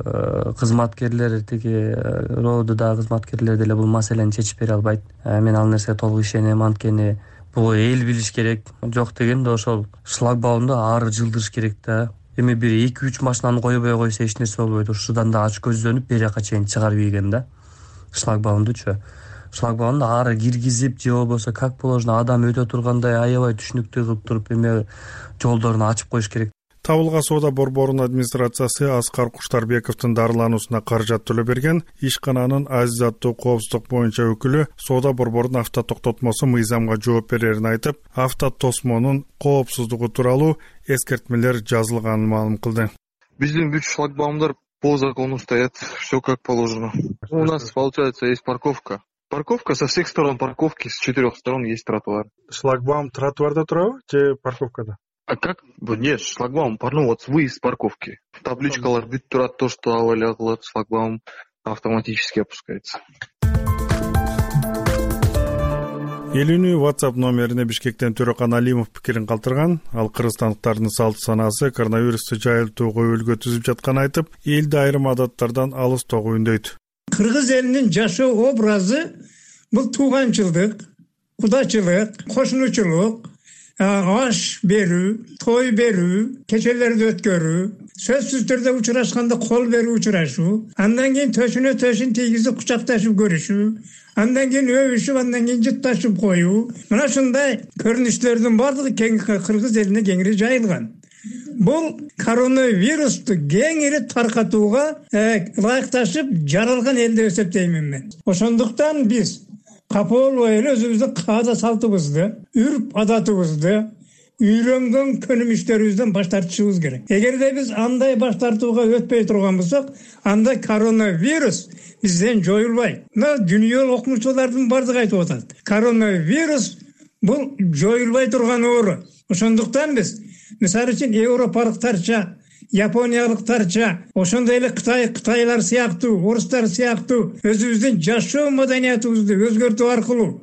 кызматкерлер, тиги РООдагы кызматкерлер деле бул маселени чечип бере албайт. Мен ал нерсеге толук ишенем, анткени бул эл билиш керек. Жок дегенде ошол шлагбаумду ары жылдырыш керек да. Эми бир 2-3 машинаны койбой койсо эч нерсе болбойт. Ушудан да ач көздөнүп бери жака чейин чыгарып ийген да. Шлагбаумдучу. Шлагбаумду ары киргизип же болбосо как положено адам өтө тургандай аябай түшүнүктүү кылып туруп эме жолдорун ачып коюш керек. Табылган соода борборунун администрациясы Аскар Куштарбековдун дарылануусуна каражат төлөп берген. Ишкананын Азиз аттуу коопсуздук боюнча өкүлү соода борборунун автотоктотмосу мыйзамга жооп берерин айтып, автотосмонун коопсуздугу тууралуу эскертмелер жазылганын маалым кылды. Биздин бүт шлагбаумдар по закону стоят, все как положено. У нас, получается, есть парковка. Парковка со всех сторон парковки, с 4 сторон есть тротуар. Шлагбаум тротуарда турабы же парковкада? А как? Нет, шлагбаум, вот выезд с парковки. Табличкалар бүт турат, то, что авария кылат, шлагбаум автоматически опускается. Элүүнү WhatsApp номерине Бишкектен Төрөкан Алимов пикирин калтырган. Ал кыргызстандыктардын салт санаасы коронавирусту жайылтууга өлгө түзүп жатканын айтып, элди айрым адаттардан алыстоого үндөйт. Кыргыз элинин жашоо образы бул тууганчылдык, кудачылык, кошунучулук, аш берүү, той берүү, кечелерди өткөрүү, сөзсүз түрдө учурашканда кол берүү учурашуу, андан кийин төшүнө төшүн тийгизип кучакташып көрүшүү, андан кийин өбүшүп, андан кийин жытташып коюу. Мына ушундай көрүнүштөрдүн баардыгы кыргыз элине кеңири жайылган. Бул коронавирусту кеңири таркатууга ылайыкташып жаралган эл деп эсептеймин мен. Ошондуктан биз капа болбой эле өзүбүздүн каада салтыбызды, үрп адатыбызды, үйрөнгөн көнүмүштөрүбүздөн баш тартышыбыз керек. Эгерде биз андай баш тартууга өтпөй турган болсок, анда коронавирус бизден жоюлбайт. Мына дүйнөлүк окумуштуулардын бардыгы айтып атат. Коронавирус бул жоюлбай турган оору. Ошондуктан биз мисалы үчүн европалыктарча, япониялыктарча, ошондой эле кытайлар сыяктуу, орустар сыяктуу өзүбүздүн жашоо маданиятыбызды өзгөртүү аркылуу,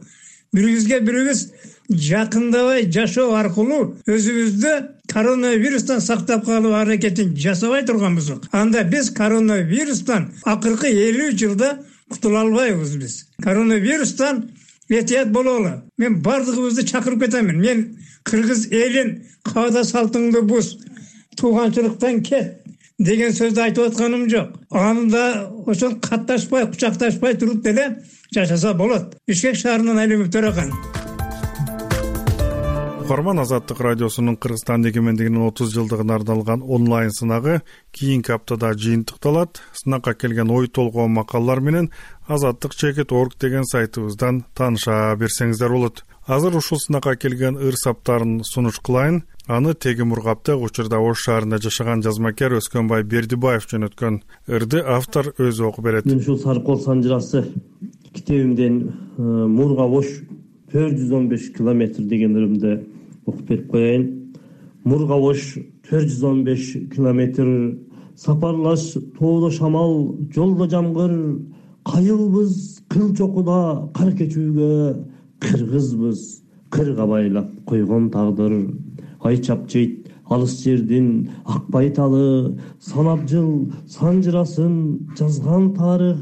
бирибизге бирибиз жакындабай жашоо аркылуу өзүбүздү коронавирустан сактап калуу аракетин жасабай турган болсок, анда биз коронавирустан акыркы 50 жылда кутула албайбыз биз. Коронавирустан этият бололу. Мен бардыгыбызды чакырып кетемин. Мен кыргыз элин каада салтыңды буз, тууганчылыктан кет деген сөздү айтып атканым жок. Анда ошол катташпай, кучакташпай туруп деле жашаса болот. Бишкек шаарынан Алимов Төрөкан. Угарман, Азаттык радиосунун Кыргызстан эгемендигинин 30 жылдыгына арналган онлайн сынагы кийинки аптада жыйынтыкталат. Сынакка келген ой толгоо макалалар менен azattik.org деген сайтыбыздан тааныша берсеңиздер болот. Азыр ушул сынакка келген ыр саптарын сунуш кылайын. Аны Тегим Ургапта учурда Ош шаарында жашаган жазмакер Өскөнбай Бердибаев жөнөткөн. Ырды автор өзү окуп берет. Мен ушул Саркол санжырасы китебимден Мурга Ош 415 километр деген ырымды окуп берип коеюн. Мурга Ош 415 километр, сапарлаш тоодо шамал, жолдо жамгыр, кайылбыз кыл чокуда кар кечүүгө, кыргызбыз кырга байлап койгон тагдыр. Ай чапчыйт алыс жердин ак байталы, санап жыл санжырасын жазган тарых,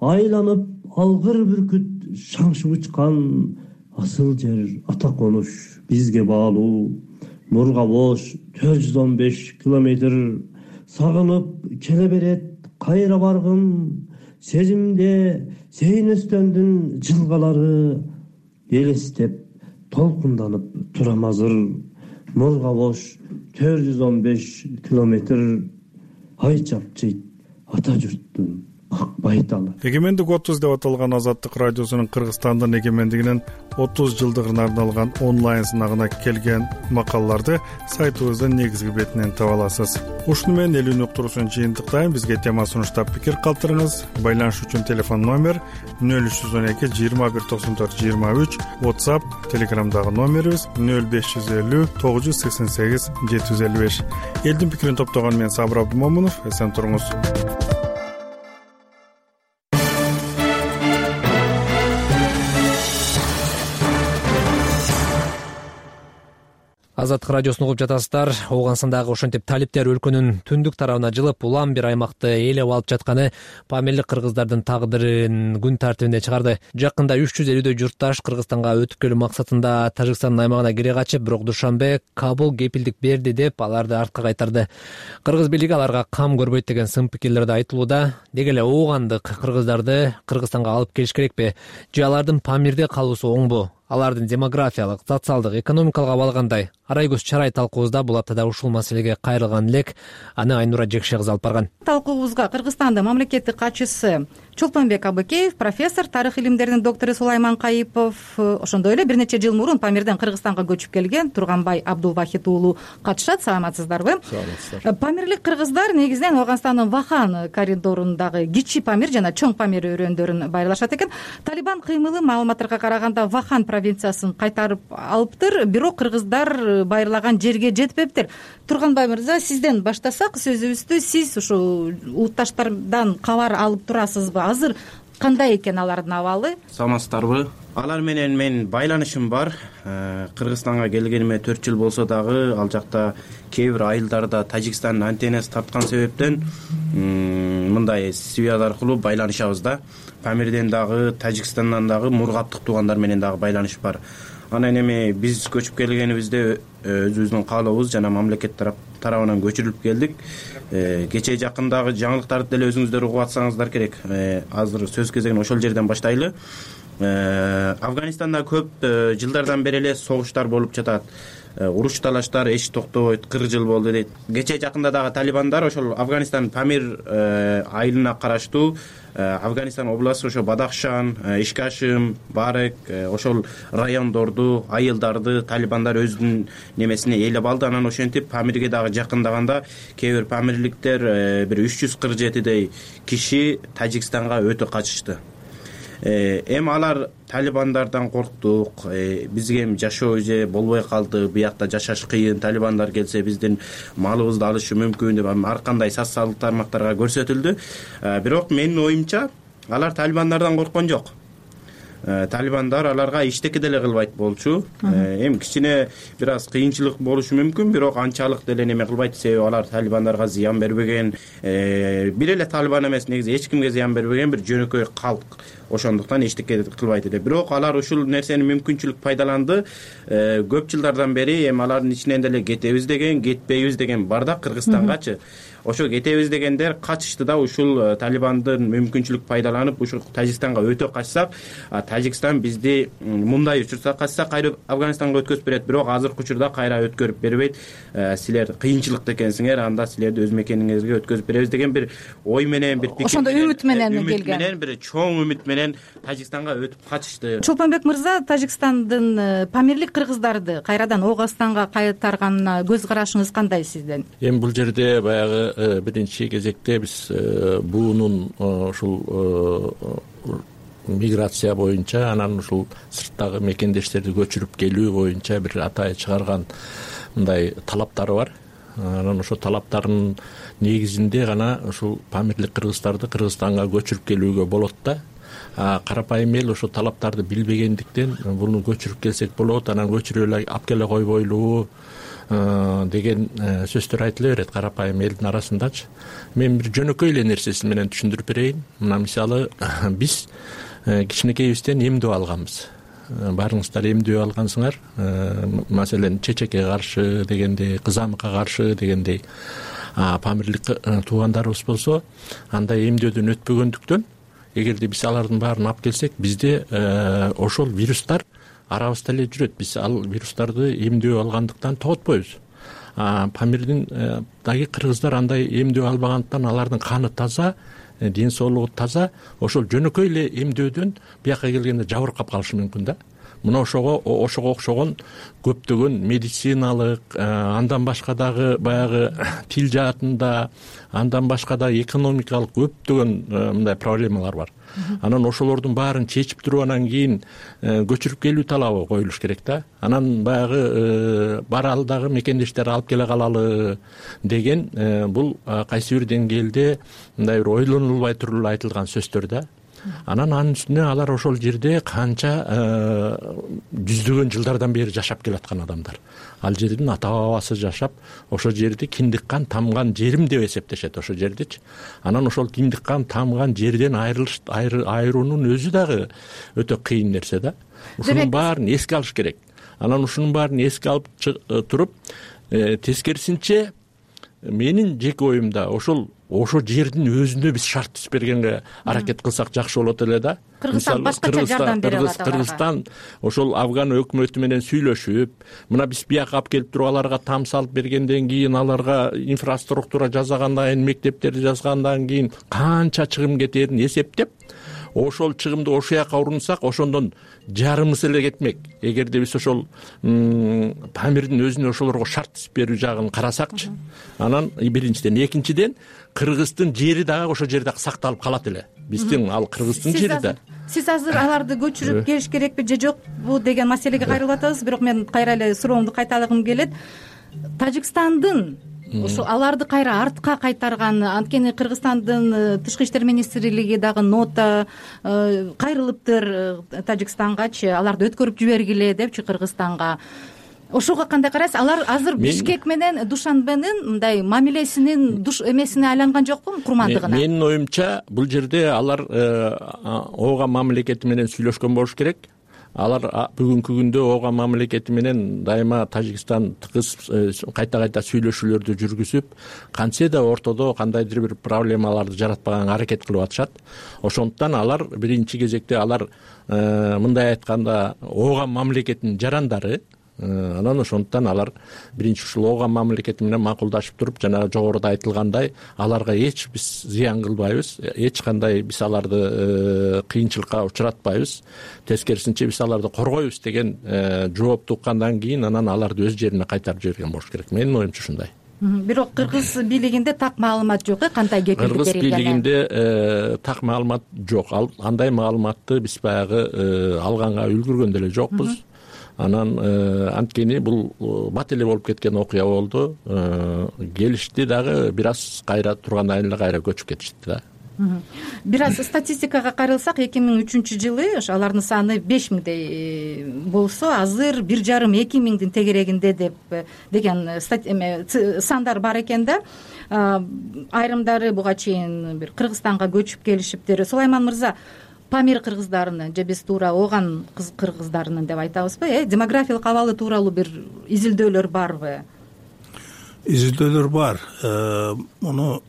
айланып алгыр бүркүт шаңшып учкан, асыл жер ата конуш бизге баалуу. Мурга Ош 415 километр, сагынып келе берет кайра баргым, сезимде Сейнөстөндүн жылгалары, элестеп толкунданып турам азыр. Мурга Ош 415 километр, ай чапчыйт ата журттун ак байталы. Эгемендик 30 деп аталган Азаттык радиосунун Кыргызстандын эгемендигинин 30 жылдыгына арналган онлайн сынагына келген макалаларды сайтыбыздын негизги бетинен таба аласыз. Ушуну менен элүүнү уктуруусун жыйынтыктайм. Бизге тема сунуштап пикир калтырыңыз. Байланыш үчүн телефон номер 0312 2194 23, WhatsApp, Telegramдагы номерибиз 0550 988 755. Элдин пикирин топтогон мен Сабыр Абдымомунов. Эсен туруңуз. Азаттык радиосун угуп жатасыздар. Ооганстандагы ошентип талиптер өлкөнүн түндүк тарабына жылып, улам бир аймакты ээлеп алып жатканы памирлик кыргыздардын тагдырын күн тартибине чыгарды. Жакында 350дөй журтташ Кыргызстанга өтүп келүү максатында Тажикстандын аймагына кире качып, бирок Душанбе Кабул кепилдик берди деп аларды артка кайтарды. Кыргыз бийлиги аларга кам көрбөйт деген сын пикирлерди айтылууда. Деги эле оогандык кыргыздарды Кыргызстанга алып келиш керекпи? Же алардын Памирде калуусу оңбу? алардын демографиялык, социалдык, экономикалык абалы кандай? Арай көз чарай талкуубузда бул аптада ушул маселеге кайрылган элек. Аны Айнура Жекше кызы алып барган. Талкуубузга Кыргызстандын мамлекеттик катчысы Чолпонбек Абыкеев, профессор, тарых илимдеринин доктору Сулайман Кайыпов, ошондой эле бир нече жыл мурун Памирден Кыргызстанга көчүп келген Турганбай Абдулвахит уулу катышат. Саламатсыздарбы? Саламатсыздар. Памирлик кыргыздар негизинен Ооганстандын Вахан коридорундагы Кичи Памир жана Чоң Памир өрөөндөрүн байрлашат экен. Талибан кыймылы маалыматтарга караганда Вахан провинциясын кайтарып алыптыр, бирок кыргыздар байырлаган жерге жетпептир. Турганбай мырза, сизден баштасак сөзүбүздү, сиз ушул улутташтардан кабар алып турасызбы? Азыр кандай экен алардын абалы? Саламатсыздарбы? Алар менен мен байланышым бар. Кыргызстанга келгениме 4 жыл болсо дагы ал жакта кээ бир айылдарда Тажикстандын антеннасы тарткан себептен мындай связь аркылуу байланышабыз да. Памирден дагы, Тажикстандан дагы мургаптык туугандар менен дагы байланыш бар. Анан эми биз көчүп келгенибизде өзүбүздүн каалообуз жана мамлекет тарабынан көчүрүлүп келдик. Кечээ жакындагы жаңылыктарды деле өзүңүздөр угуп атсаңыздар керек. Азыр сөз кезегин ошол жерден баштайлы. Афганистанда көп жылдардан бери эле согуштар болуп жатат. Уруш талаштар эч токтобойт, 40 жыл болду дейт. Кечээ жакында дагы талибандар ошол Афганистан Памир айылына караштуу Афганистан областы, ошо Бадахшан, Ишкашим, Барек, ошол райондорду, айылдарды талибандар өзүнүн немесине ээлеп алды. Анан ошентип Памирге дагы жакындаганда кээ бир памирликтер бир 347дей киши Тажикстанга өтө качышты. Эми алар талибандардан корктук, бизге эми жашоо же болбой калды, биякта жашаш кыйын, талибандар келсе биздин малыбызды алышы мүмкүн деп ар кандай социалдык тармактарга көрсөтүлдү. Бирок менин оюмча алар талибандардан корккон жок. Талибандар аларга иштеки деле кылбайт болчу. Эми кичине бир аз кыйынчылык болушу мүмкүн, бирок анчалык деле неме кылбайт, себеби алар талибандарга зыян бербеген. Бир эле талибан эмес, негизи эч кимге зыян бербеген бир жөнөкөй калк. Ошондуктан эчтеке кылбайт эле. Бирок алар ушул нерсени мүмкүнчүлүк пайдаланды. Көп жылдардан бери эми алардын ичинен деле кетебиз деген, кетпейбиз деген бар да Кыргызстангачы. Ошо кетебиз дегендер качышты да, ушул талибандын мүмкүнчүлүк пайдаланып ушул Тажикстанга өтө качсак, Тажикстан бизди мындай учурса качса кайра Афганистанга өткөзүп берет, бирок азыркы учурда кайра өткөрүп бербейт. Силер кыйынчылыкта экенсиңер, анда силерди өз мекениңерге өткөзүп беребиз деген бир ой менен, бир пикир, ошондой үмүт менен келген, бир чоң үмүт менен Тажикстанга өтүп качышты. Чолпонбек мырза, Тажикстандын памирлик кыргыздарды кайрадан Ооганстанга кайтарганына көз карашыңыз кандай сизден? Эми бул жерде баягы биринчи кезекте биз буунун ушул миграция боюнча, анан ушул сырттагы мекендештерди көчүрүп келүү боюнча бир атайын чыгарган мындай талаптары бар. Анан ошол талаптардын негизинде гана ушул памирлик кыргыздарды Кыргызстанга көчүрүп келүүгө болот да. Карапайым эл ошол талаптарды билбегендиктен буну көчүрүп келсек болот, анан көчүрүп эле алып келе койбойлуу деген сөздөр айтыла берет карапайым элдин арасындачы. Мен бир жөнөкөй эле нерсеси менен түшүндүрүп берейин. Мына мисалы биз кичинекейибизден эмдөө алганбыз. Баарыңыздар эмдөө алгансыңар. Маселен, чечекке каршы дегендей, кызамыкка каршы дегендей. Памирлик туугандарыбыз болсо, андай эмдөөдөн өтпөгөндүктөн, эгерде биз алардын баарын алып келсек, бизде ошол вирустар арабызда эле жүрөт. Биз ал вирустарды эмдөө алгандыктан тоготпойбуз. Памирдин дагы кыргыздар андай эмдөө албагандыктан алардын каны таза, ден соолугу таза, ошол жөнөкөй эле эмдөөдөн бияка келгенде жабыркап калышы мүмкүн да. Мына ошого окшогон көптөгөн медициналык, андан башка дагы баягы тил жаатында, андан башка да экономикалык көптөгөн мындай проблемалар бар. Анан ошолордун баарын чечип туруп анан кийин көчүрүп келүү талабы коюлуш керек да. Анан баягы баралдагы мекендештерди алып келе калалы деген бул кайсы бир деңгээлде мындай бир ойлонулбай туруп эле айтылган сөздөр да. Анан анын үстүнө алар ошол жерде канча жүздөгөн жылдардан бери жашап келаткан адамдар. Ал жердин ата бабасы жашап, ошол жерди киндик кан тамган жерим деп эсептешет ошол жердичи. Анан ошол киндик кан тамган жерден айыруунун өзү дагы өтө кыйын нерсе да. Ушунун баарын эске алыш керек. Анан ушунун баарын эске алып туруп, тескерисинче менин жеке оюмда ошо жердин өзүнө биз шарт түзүп бергенге аракет кылсак жакшы болот эле да. Кыргызстан башкача жардам бере алат. Кыргызстан ошол Афган өкмөтү менен сүйлөшүп, мына биз бияка алып келип туруп аларга там салып бергенден кийин, аларга инфраструктура жасагандан кийин, мектептерди жасагандан кийин канча чыгым кетерин эсептеп, ошол чыгымды ошол жака урунсак, ошондон жарымысы эле кетмек. Эгерде биз ошол Памирдин өзүнө ошолорго шарт түзүп берүү жагын карасакчы. Анан биринчиден, экинчиден Кыргыздын жери дагы ошол жерде сакталып калат эле. Биздин ал Кыргыздын жери да. Сиз азыр аларды көчүрүп келиш керекпи же жокпу деген маселеге кайрылып атабыз, бирок мен кайра эле суроомду кайталагым келет. Тажикстандын ошо аларды кайра артка кайтарган, анткени Кыргызстандын тышкы иштер министрлиги дагы нота кайрылыптыр Тажикстангачы, аларды өткөрүп жибергиле депчи Кыргызстанга. Ошого кандай карайсыз? Алар азыр Бишкек менен Душанбенин мындай мамилесинин эмесине айланган жокпу, курмандыгына? Менин оюмча бул жерде алар Ооган мамлекети менен сүйлөшкөн болуш керек. Алар бүгүнкү күндө Ооган мамлекети менен дайыма Тажикстан тыгыз кайта сүйлөшүүлөрдү жүргүзүп, кантсе да ортодо кандайдыр бир проблемаларды жаратпаганга аракет кылып атышат. Ошондуктан алар биринчи кезекте алар мындай айтканда Ооган мамлекетинин жарандары. Анан ошондуктан алар биринчи ушул Ооган мамлекети менен макулдашып туруп, жана жогоруда айтылгандай, аларга эч биз зыян кылбайбыз, эч кандай биз аларды кыйынчылыкка учуратпайбыз. Тескерисинче биз аларды коргойбуз деген жоопту уккандан кийин анан аларды өз жерине кайтарып жиберген болуш керек. Менин оюмча ушундай. Бирок кыргыз бийлигинде так маалымат жок, кандай кепилдик берилген? Кыргыз бийлигинде так маалымат жок. Андай маалыматты биз баягы алганга үлгүргөн деле жокпуз. Анан анткени бул бат эле болуп кеткен окуя болду. Келишти дагы бир аз кайра тургандан кийин эле кайра көчүп кетишти да. Бир аз статистикага кайрылсак, 2003-жылы алардын саны 5000дей болсо, азыр 1,5-2000дин тегерегинде деген сандар бар экен да. Айрымдары буга чейин бир Кыргызстанга көчүп келишиптир. Сулайман мырза, Памир кыргыздарынын же биз туура Ооган кыргыздарынын деп айтабызбы, демографиялык абалы тууралуу бир изилдөөлөр барбы? Изилдөөлөр бар. Муну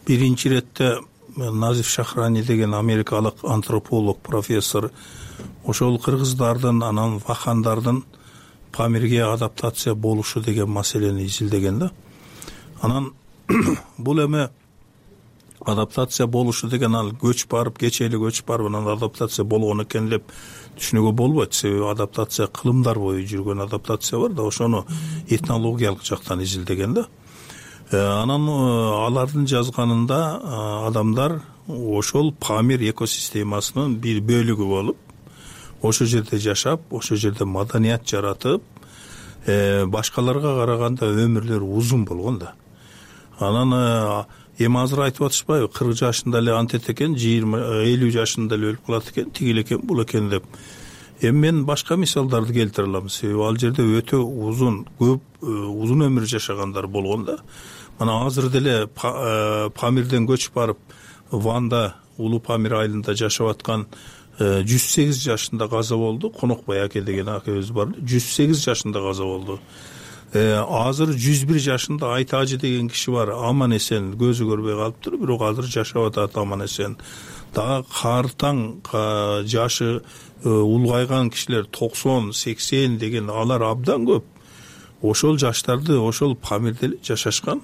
биринчи иретте Назиф Шахрани деген америкалык антрополог, профессор ошол кыргыздардын, анан вахандардын Памирге адаптация болушу деген маселени изилдеген да. Анан бул эме адаптация болушу деген ал көч барып, кечээли көч барып, анан адаптация болгон экен деп түшүнүүгө болбойт. Себеби адаптация кылымдар бою жүргөн адаптация бар да, ошону этнологиялык жактан изилдеген да. Анан алардын жазганында адамдар ошол Памир экосистемасынын бир бөлүгү болуп, ошол жерде жашап, ошол жерде маданият жаратып, башкаларга караганда өмүрлөрү узун болгон да. Анан эми азыр айтып атышпайбы, 40 жашында эле антет экен, 20-50 жашында эле өлүп калат экен, тигил экен, бул экен деп. Эми мен башка мисалдарды келтире алам. Себеби ал жерде өтө узун, көп узун өмүр жашагандар болгон да. Мына азыр деле Памирден көчүп барып, Ванда, Улуу Памир айылында жашап аткан 108 жашында каза болду. Конокбай аке деген акебиз бар. 108 жашында каза болду. Азыр 101 жашында Айтажы деген киши бар. Аман эсен, көзү көрбөй калыптыр, бирок азыр жашап атат аман эсен. Дагы картаң жашы улгайган кишилер 90-80 деген, алар абдан көп. Ошол жаштарды ошол Памирде жашашкан.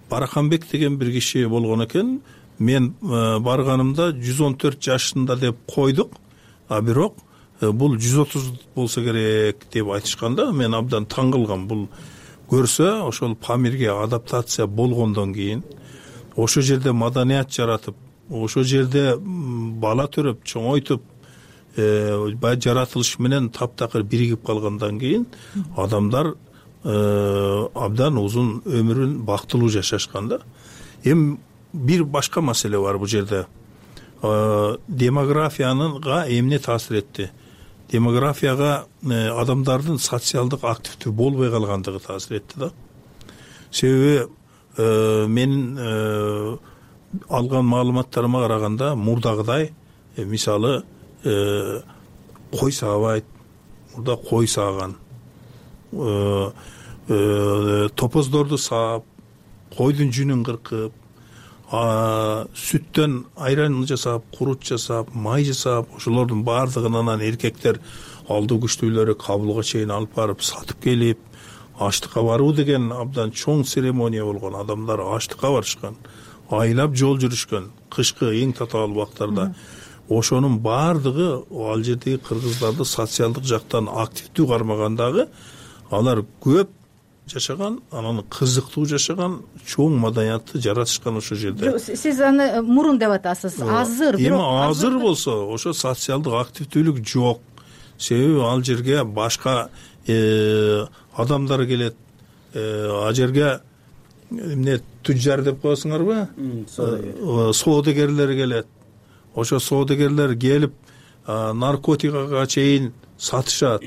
Бараканбек деген бир киши болгон экен. Мен барганымда 114 жашында деп койдук, а бирок бул 130 болсо керек деп айтышканда, мен абдан таң кылгам. Бул көрсө ошол Памирге адаптация болгондон кийин, ошол жерде маданият жаратып, ошол жерде бала төрөп, чоңойтуп, жаратылыш менен таптакыр биригип калгандан кийин адамдар абдан узун өмүрүн бактылуу жашашкан да. Эми бир башка маселе бар бул жерде. Демографияга эмне таасир этти? Демографияга адамдардын социалдык активдүү болбой калгандыгы таасир этти да. Себеби менин алган маалыматтарыма караганда мурдагыдай мисалы кой саабайт, мурда кой сааган, топоздорду саап, койдун жүнүн кыркып, сүттөн айран жасап, курут жасап, май жасап, ошолордун баардыгын анан эркектер алдуу күчтүүлөрү Кабулга чейин алып барып сатып келип, аштыкка баруу деген абдан чоң церемония болгон. Адамдар аштыкка барышкан, айлап жол жүрүшкөн, кышкы эң татаал убактарда. Ошонун баардыгы ал жердеги кыргыздарды социалдык жактан активдүү кармагандагы алар көп жашаган, анан кызыктуу жашаган, чоң маданиятты жаратышкан ошол жерде. Сиз аны мурун деп атасыз. Азыр, бирок азыр болсо ошо социалдык активдүүлүк жок. Себеби ал жерге башка адамдар келет. Ал жерге эмне туджар деп коесуңарбы? Соодагерлер келет. Ошо соодагерлер келип наркотикага чейин сатышат.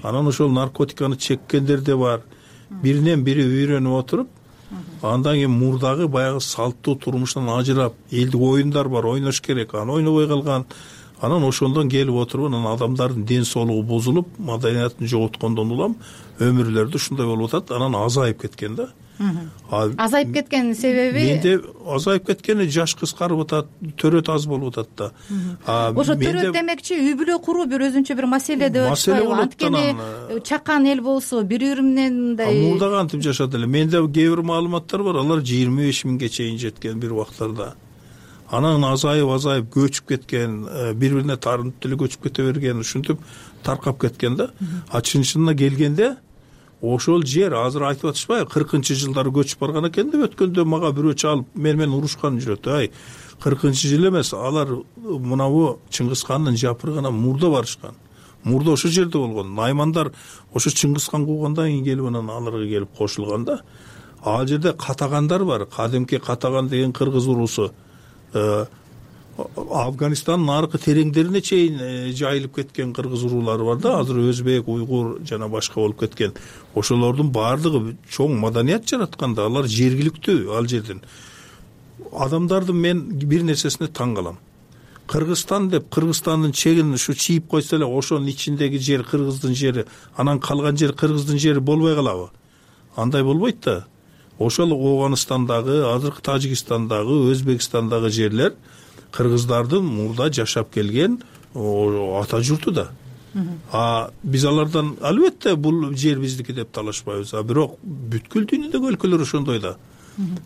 Анан ошол наркотиканы чеккендер да бар. Биринен бири үйрөнүп отуруп, андан кийин мурдагы баягы салттуу турмуштан ажырап, элдик оюндар бар, ойнош керек, аны ойнобой калган. Анан ошондон келип отуруп, анан адамдардын ден соолугу бузулуп, маданиятын жоготкондон улам өмүрлөрдө ушундай болуп атат. Анан азайып кеткен да. Азайып кеткен себеби? Менде азайып кеткени жаш кыскарып атат, төрөт аз болуп атат да. Ошо төрөт демекчи үй бүлө куруу бир өзүнчө бир маселе деп атпайбы? Анткени чакан эл болсо бири-бири менен мындай мурда кантип жашат эле. Менде кээ бир маалыматтар бар, алар 25 миңге чейин жеткен бир убактарда. Анан азайып көчүп кеткен, бири-бирине тарынып деле көчүп кете берген, ушинтип таркап кеткен да. Чын-чынына келгенде ошол жер азыр айтып атышпайбы, 40-жылдары көчүп барган экен деп. Өткөндө мага бирөө чалып менен урушкан жүрөт. 40-жыл эмес, алар мынабу Чыңгыз хандын жапырыгына мурда барышкан. Мурда ошол жерде болгон. Наймандар ошо Чыңгыз хан куугандан кийин келип анан аларга келип кошулган да. Ал жерде катагандар бар. Кадимки катаган деген кыргыз уруусу Афганистандын аркы тереңдерине чейин жайылып кеткен кыргыз уруулары бар да. Азыр өзбек, уйгур жана башка болуп кеткен. Ошолордун баардыгы чоң маданият жараткан да. Алар жергиликтүү ал жерден. Адамдардын мен бир нерсесине таң калам. Кыргызстан деп Кыргызстандын чегин ушу чийип койсо эле ошонун ичиндеги жер кыргыздын жери, анан калган жер кыргыздын жери болбой калабы? Андай болбойт да. Ошол Оганыстандагы, азыркы Тажикстандагы, Өзбекстандагы жерлер кыргыздардын мурда жашап келген ата журту да. Биз алардан албетте бул жер биздики деп талашпайбыз. Бирок бүткүл дүйнөдөгү өлкөлөр ошондой да.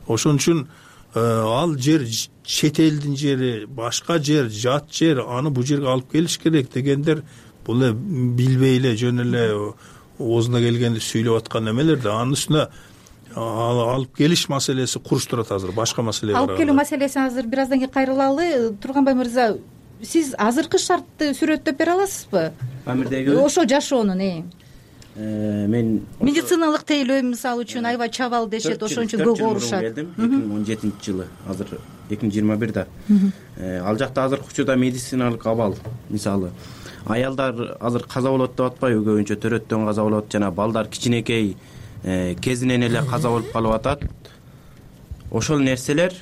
Ошон үчүн ал жер чет элдин жери, башка жер, жат жер, аны бул жерге алып келиш керек дегендер бул эле билбей эле жөн эле оозуна келгенди сүйлөп аткан эмелер да. Анын үстүнө алып келиш маселеси куруш турат азыр, башка маселе бар. Алып келүү маселесин азыр бир аздан кийин кайрылалы. Турганбай мырза, сиз азыркы шартты сүрөттөп бере аласызбы? Памирдеги ошо жашоонун мен медициналык тейлөө мисалы үчүн аябай чабал дешет, ошон үчүн көп оорушат. 2017-жылы, азыр 2021да. Ал жакта азыркы учурда медициналык абал, мисалы аялдар азыр каза болот деп атпайбы, көбүнчө төрөттөн каза болот, жана балдар кичинекей кезинен эле каза болуп калып атат. Ошол нерселер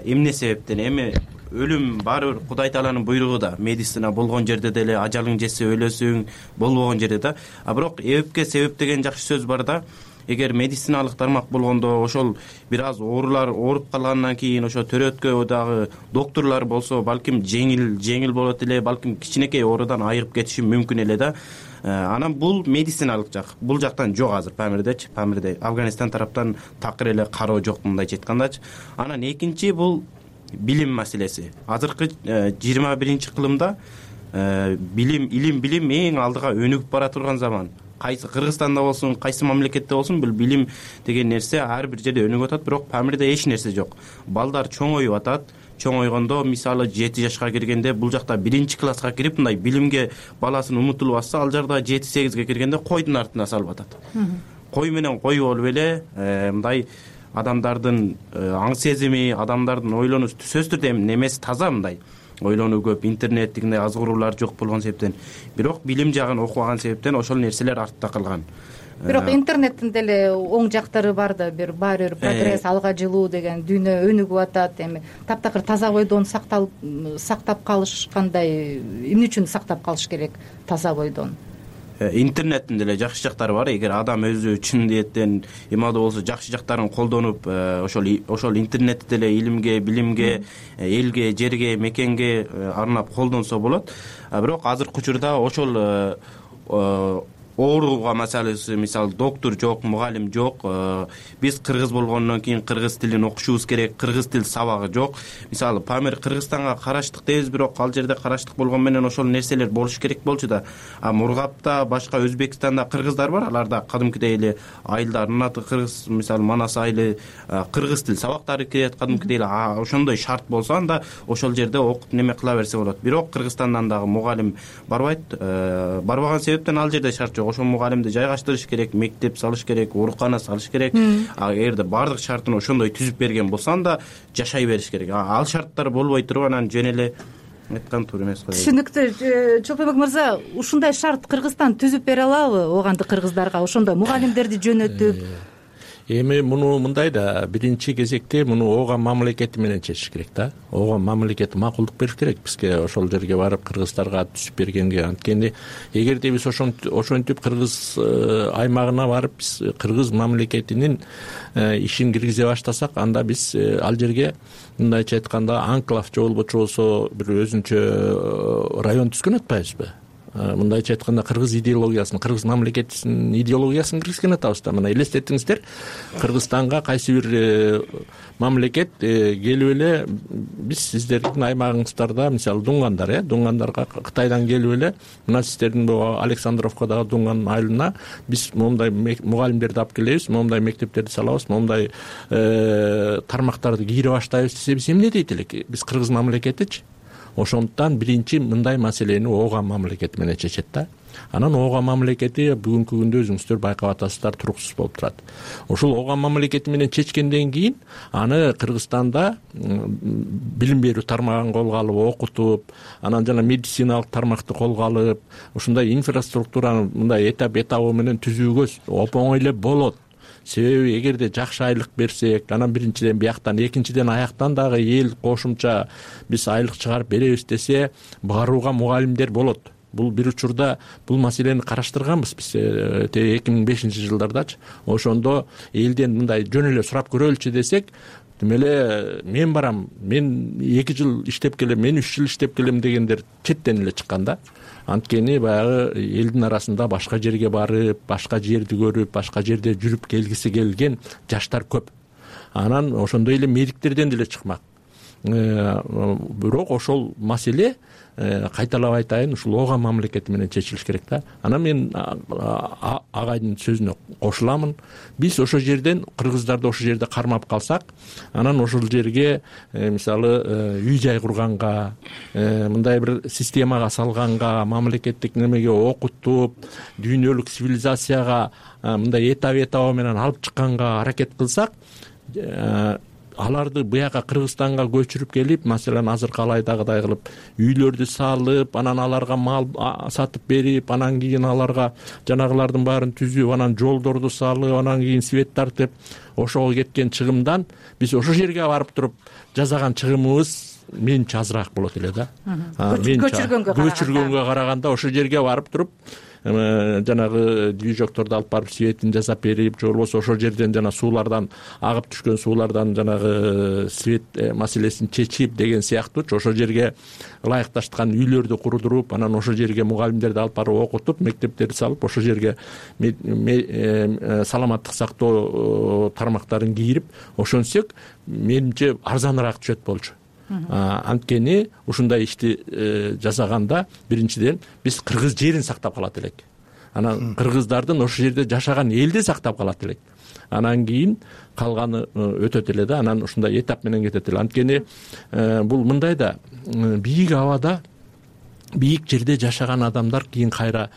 эмне себептен? Эми өлүм баары бир Кудай Тааланын буйругу да. Медицина болгон жерде деле ажалың жетсе өлөсүң, болбогон жерде да. Бирок эбипке себеп деген жакшы сөз бар да. Эгер медициналык тармак болгондо ошол бир аз оорулар ооруп калгандан кийин ошо төрөткө дагы докторлор болсо балким жеңил болот эле, балким кичинекей оорудан айыгып кетиши мүмкүн эле да. Анан бул медициналык жак. Бул жактан жок азыр Памирдечи. Памирде Афганистан тараптан такыр эле кароо жок мындайча айткандачы. Анан экинчи бул билим маселеси. Азыркы 21-кылымда билим эң алдыга өнүгүп бара турган заман. Кайсы Кыргызстанда болсун, кайсы мамлекетте болсун, бул билим деген нерсе ар бир жерде өнүгүп атат, бирок Памирде эч нерсе жок. Балдар чоңоюп атат. Чоңойгондо, мисалы 7 жашка киргенде, бул жакта 1-класска кирип, мындай билимге баласын умутулуп атса, ал жерде 7-8ге киргенде койдун артына салып атат. Кой менен кой болуп эле мындай адамдардын аң сезими, адамдардын ойлонуу сөзсүз түрдө немеси таза, мындай ойлонуу көп, интернеттигиндей азгыруулар жок болгон себептен, бирок билим жагын окубаган себептен ошол нерселер артта калган. Бирок интернеттин деле оң жактары бар да, баары бир прогресс, алга жылуу деген, дүйнө өнүгүп атат. Эми таптакыр таза бойдон сактап калыш кандай, эмне үчүн сактап калыш керек таза бойдон? интернеттин деле жакшы жактары бар. Эгер адам өзү чын ниеттен имандуу болсо, жакшы жактарын колдонуп, ошол интернетти деле илимге, билимге, элге, жерге, мекенге арнап колдонсо болот. Бирок азыркы учурда ошол ооруга маселеси, мисалы доктор жок, мугалим жок. Биз кыргыз болгондон кийин кыргыз тилин окушубуз керек, кыргыз тил сабагы жок. Мисалы Памир Кыргызстанга караштык дейбиз, бирок ал жерде караштык болгон менен ошол нерселер болуш керек болчу да. Мургапта, башка Өзбекстанда кыргыздар бар, аларда кадимкидей эле айылдардын аты кыргыз, мисалы Манас айылы кыргыз тил сабактары кирет, кадимкидей эле ошондой шарт болсо анда ошол жерде окуп неме кыла берсе болот. Бирок Кыргызстандан дагы мугалим барбайт. Барбаган себептен ал жерде шарт жок. Ошол мугалимди жайгаштырыш керек, мектеп салыш керек, оорукана салыш керек. Эгерде баардык шартын ошондой түзүп берген болсо анда жашай бериш керек. Ал шарттар болбой туруп анан жөн эле айткан туура эмес го. Түшүнүктүү. Чолпонбек мырза, ушундай шарт Кыргызстан түзүп бере алабы оганды кыргыздарга, ошондой мугалимдерди жөнөтүп? Эми муну мындай да, биринчи кезекте муну ооган мамлекети менен чечиш керек да. Ооган мамлекети макулдук бериш керек бизге ошол жерге барып кыргыздарга түзүп бергенге. Анткени эгерде биз ошентип кыргыз аймагына барып биз кыргыз мамлекетинин ишин киргизе баштасак, анда биз ал жерге мындайча айтканда анклав же болбочу болсо бир өзүнчө район түзгөн атпайбызбы? Мындайча айтканда кыргыз идеологиясын, кыргыз мамлекетинин идеологиясын киргизген атабыз да. Мына элестетиңиздер, Кыргызстанга кайсы бир мамлекет келип эле биз сиздердин аймагыңыздарда, мисалы Дунгандар, Дунгандарга Кытайдан келип эле мына сиздердин Александровкадагы Дунган айылына биз момундай мугалимдерди алып келебиз, момундай мектептерди салабыз, момундай тармактарды кийире баштайбыз десе, биз эмне дейт элек биз кыргыз мамлекетичи? Ошондуктан биринчи мындай маселени ооган мамлекет менен чечет да. Анан ооган мамлекети бүгүнкү күндө өзүңүздөр байкап атасыздар, туруксуз болуп турат. Ошол ооган мамлекети менен чечкенден кийин аны Кыргызстанда билим берүү тармагын колго алып окутуп, анан жана медициналык тармакты колго алып, ушундай инфраструктураны мындай этабы менен түзүүгө оңой эле болот. Себеби эгерде жакшы айлык берсек, анан биринчиден бияктан, экинчиден аяктан дагы эл кошумча биз айлык чыгарып беребиз десе, барууга мугалимдер болот. Бул бир учурда бул маселени караштырганбыз биз 2005-жылдардачы. Ошондо элден мындай жөн эле сурап көрөлүчү десек, демеле мен барам, мен 2 жыл иштеп келем, мен 3 жыл иштеп келем дегендер четтен эле чыккан да. Анткени баягы элдин арасында башка жерге барып, башка жерди көрүп, башка жерде жүрүп келгиси келген жаштар көп. Анан ошондой эле медиктерден деле чыкмак. Бирок ошол маселе кайталап айтайын, ушул ооган мамлекети менен чечилиш керек да. Анан мен агайдын сөзүнө кошуламын. Биз ошол жерден кыргыздарды ошол жерде кармап калсак, анан ошол жерге мисалы үй жай курганга, мындай бир системага салганга, мамлекеттик немеге окутуп, дүйнөлүк цивилизацияга мындай этабы менен алып чыкканга аракет кылсак, аларды буяка Кыргызстанга көчүрүп келип, маселен азыркы алайдагыдай кылып үйлөрдү салып, анан аларга мал сатып берип, анан кийин аларга жанагылардын баарын түзүп, анан жолдорду салып, анан кийин свет тартып, ошого кеткен чыгымдан биз ошол жерге барып туруп жасаган чыгымыбыз менче азыраак болот эле да. Көчүргөнгө караганда ошол жерге барып туруп жанагы движокторду алып барып светин жасап берип, же болбосо ошол жерден жана суулардан агып түшкөн суулардан жанагы свет маселесин чечип деген сыяктуу ошол жерге ылайыкташкан үйлөрдү курдуруп, анан ошол жерге мугалимдерди алып барып окутуп, мектептерди салып, ошол жерге саламаттык сактоо тармактарын кийирип ошентсек, менимче арзаныраак түшөт болчу. Анткени ушундай ишти жасаганда биринчиден биз кыргыз жерин сактап калат элек. Анан кыргыздардын ошол жерде жашаган элди сактап калат элек. Анан кийин калганы өтөт эле да, анан ушундай этап менен кетет эле. Анткени бул мындай да, бийик абада, бийик жерде жашаган адамдар кийин кайра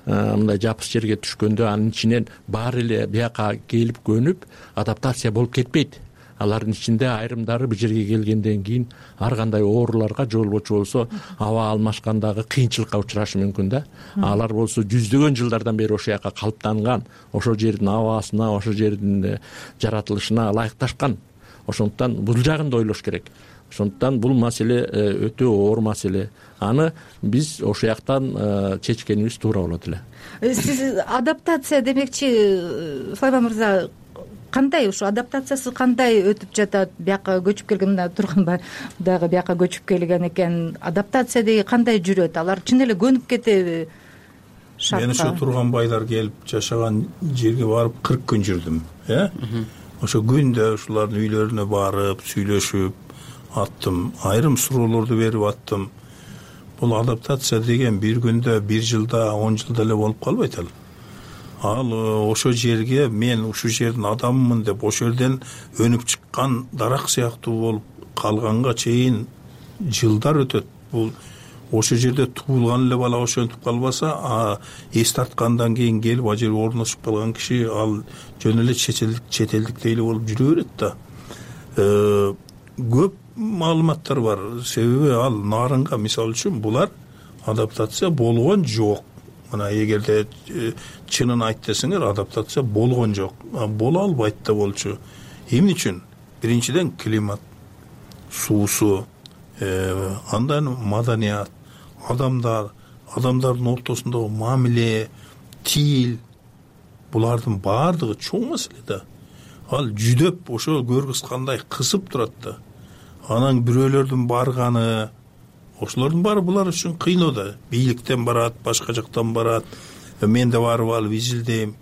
мындай жапыс жерге түшкөндө анын ичинен баары эле бияка келип көнүп адаптация болуп кетпейт. Алардын ичинде айрымдары бир жерге келгенден кийин ар кандай ооруларга же болбочу болсо аба алмашкандагы кыйынчылыкка учурашы мүмкүн да. Алар болсо жүздөгөн жылдардан бери ошол жака калыптанган, ошол жердин абасына, ошол жердин жаратылышына ылайыкташкан. Ошондуктан бул жагын да ойлош керек. ошондуктан бул маселе өтө оор маселе. Аны биз ошол жактан чечкенибиз туура болот эле. Сиз адаптация демекчи, Сулайман мырза, кандай ушу адаптациясы кандай өтүп жатат? Бияка көчүп келген, мына Турганбай дагы бияка көчүп келген экен. Адаптация деги кандай жүрөт? Алар чын эле көнүп кетеби шартка? Мен ошо Турганбайлар келип жашаган жерге барып 40 күн жүрдүм, ошо күндө ушулардын үйлөрүнө барып, сүйлөшүп аттым, айрым суроолорду берип аттым. Бул адаптация деген бир күндө, бир жылда, 10 жылда эле болуп калбайт ал. Ал ошо жерге мен ушул жердин адаммын деп ошол жерден өнүп чыккан дарак сыяктуу болуп калганга чейин жылдар өтөт. Бул ошол жерде туулган эле бала ошентип калбаса, эс тарткандан кийин келип ал жерге орношуп калган киши ал жөн эле чет элдиктей эле болуп жүрө берет да. Көп маалыматтар бар. Себеби ал нарынга, мисалы үчүн, булар адаптация болгон жок. Мына эгерде чынын айт десеңер, адаптация болгон жок. Боло албайт да болчу. Эмне үчүн? Биринчиден климат, суусу, андан маданият, адамдардын ортосундагы мамиле, тил, булардын баардыгы чоң маселе да. Ал жүдөп ошо көргүзгандай кысып турат да. Анан бирөөлөрдүн барганы, ошолордун баары булар үчүн кыйноо да. Бийликтен барат, башка жактан барат. Мен да барып алып изилдейм.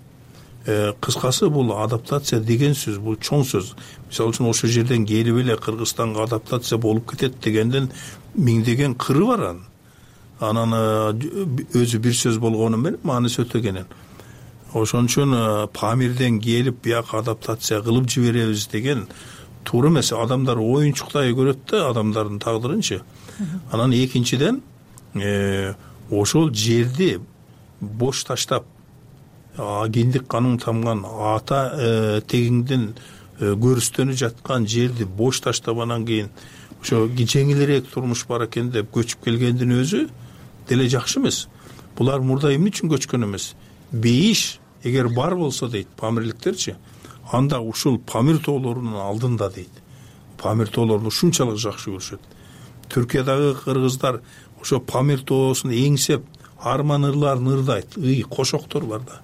Кыскасы, бул адаптация деген сөз, бул чоң сөз. Мисалы үчүн ошол жерден келип эле Кыргызстанга адаптация болуп кетет дегенден миңдеген кыры бар анын. Анан өзү бир сөз болгону менен мааниси өтө кенен. Ошон үчүн Памирден келип бияка адаптация кылып жиберебиз деген туура эмес. Адамдар оюнчуктай көрөт да адамдардын тагдырынчы. Анан экинчиден ошол жерди бош таштап, киндик каның тамган ата тегиңден көрүстөнү жаткан жерди бош таштап, анан кийин ошо жеңилирээк турмуш бар экен деп көчүп келгендин өзү деле жакшы эмес. Булар мурда эмне үчүн көчкөн эмес? Бейиш эгер бар болсо дейт памирликтерчи, анда ушул Памир тоолорунун алдында дейт. Памир тоолорун ушунчалык жакшы көрүшөт. Түркиядагы кыргыздар ошо Памир тоосун эңсеп, арман ырларын ырдайт, кошоктор бар да.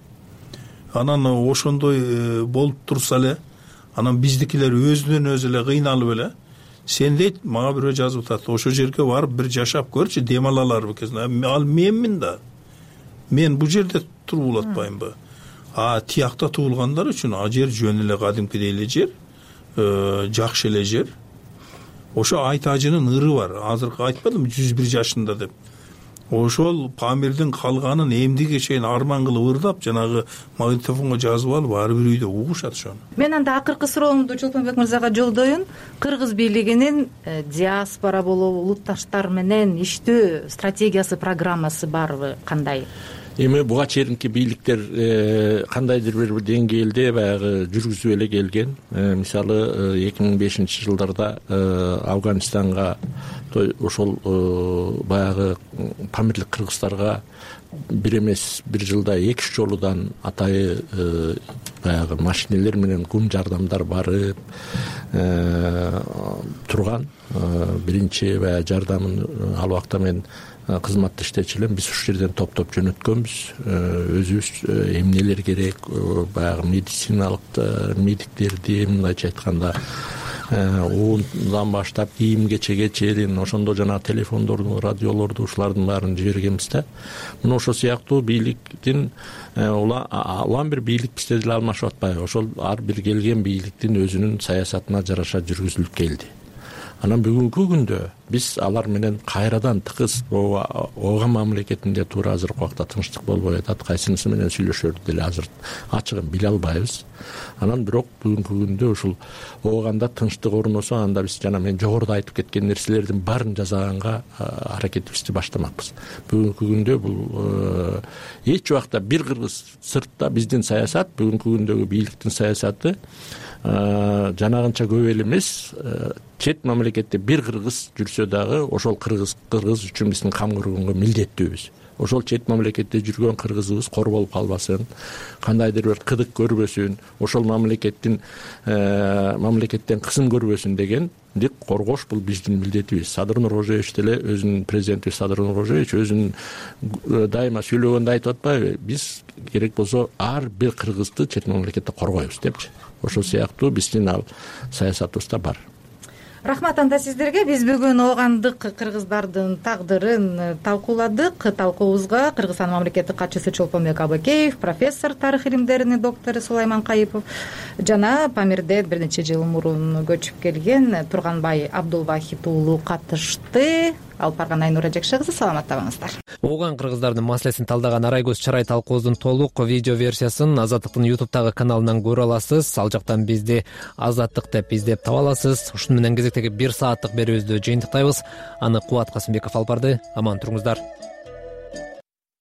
Анан ошондой болуп турса эле, анан биздикилер өзүнөн өзү эле кыйналып эле, сен дейт, мага бирөө жазып атат, ошол жерге барып бир жашап көрчү, дем алаларбы экен. Ал менмин да. Мен бул жерде туруп улатпаймынбы? Тиякта туулгандар үчүн жер жөн эле кадимкидей эле жер, жакшы эле жер. Ошо Айтажынын ыры бар. Азыркы айтпадым 101 жашында деп. Ошол Памирдин калганын эмдиге чейин арман кылып ырдап, жанагы магнитофонго жазып алып, ар бир үйдө угушат ошону. Мен анда акыркы суроомду Чолпонбек мырзага жолдоюн. Кыргыз бийлигинин диаспора болобу, улутташтар менен иштөө стратегиясы, программасы барбы, кандай? Эми буга чейинки бийликтер кандайдыр бир деңгээлде баягы жүргүзүп эле келген. Мисалы 2005 жылдарда Афганистанга ошол баягы памирлик кыргыздарга бир эмес бир жылда 2 жолудан атайы баягы машинелер менен кум жардамдар барып турган. Биринчи баягы жардамын ал убакта мен кызматта иштечү элем. Биз ушул жерден топтоп жөнөткөнбүз. Өзүбүз эмнелер керек, баягы медициналык медиктерди, мындайча айтканда уундан баштап кийим-кечеге чейин ошондо жана телефондорду, радиолорду ушулардын баарын жибергенбиз да. Мына ошол сыяктуу бийликтин улам бир бийлик бизде деле алмашып атпайбы? Ошол ар бир келген бийликтин өзүнүн саясатына жараша жүргүзүлүп келди. Анан бүгүнкү күндө биз алар менен кайрадан тыгыз ооған мамлекетинде туура азыркы убакта тынчтык болбой атат. Кайсынысы менен сүйлөшөрдү деле азыр ачыгын биле албайбыз. Анан бирок бүгүнкү күндө ушул ооганда тынчтык орносо, анда биз жана мен жогоруда айтып кеткен нерселердин баарын жасаганга аракетибизди баштамакпыз. Бүгүнкү күндө бул эч убакта бир кыргыз сыртта биздин саясат, бүгүнкү күндөгү бийликтин саясаты жанагынча көп эле эмес. Чет мамлекетте бир кыргыз жүрсө дагы ошол кыргыз үчүн биздин кам көргөнгө милдеттүүбүз. ошол чет мамлекетте жүргөн кыргызыбыз кор болуп калбасын, кандайдыр бир кыдык көрбөсүн, ошол мамлекеттен кысым көрбөсүн дегенди коргош бул биздин милдетибиз. Садыр Нуркожоевич деле өзүнүн президенти Садыр Нуркожоевич өзүнүн дайыма сүйлөгөндө айтып атпайбы, биз керек болсо ар бир кыргызды чет мамлекетте коргойбуз депчи. Ошол сыяктуу биздин ал саясатыбызда бар. Рахмат анда сиздерге. Биз бүгүн оогандык кыргыздардын тагдырын талкууладык. Талкуубузга Кыргызстан мамлекеттик катчысы Чолпонбек Абыкеев, профессор, тарых илимдеринин доктору Сулайман Кайыпов жана Памирден бир нече жыл мурун көчүп келген Турганбай Абдулвахит уулу катышты. Алып барган Айнура Жекше кызы, саламатта болуңуздар. Ооган кыргыздардын маселесин талдаган Арай көз чарай талкуубуздун толук видео версиясын Азаттыктын YouTube'дагы каналынан көрө аласыз. Ал жактан бизди Азаттык деп издеп таба аласыз. Ушуну менен кезектеги 1 сааттык берүүбүздү жыйынтыктайбыз. Аны Кубат Касымбеков алып барды. Аман туруңуздар.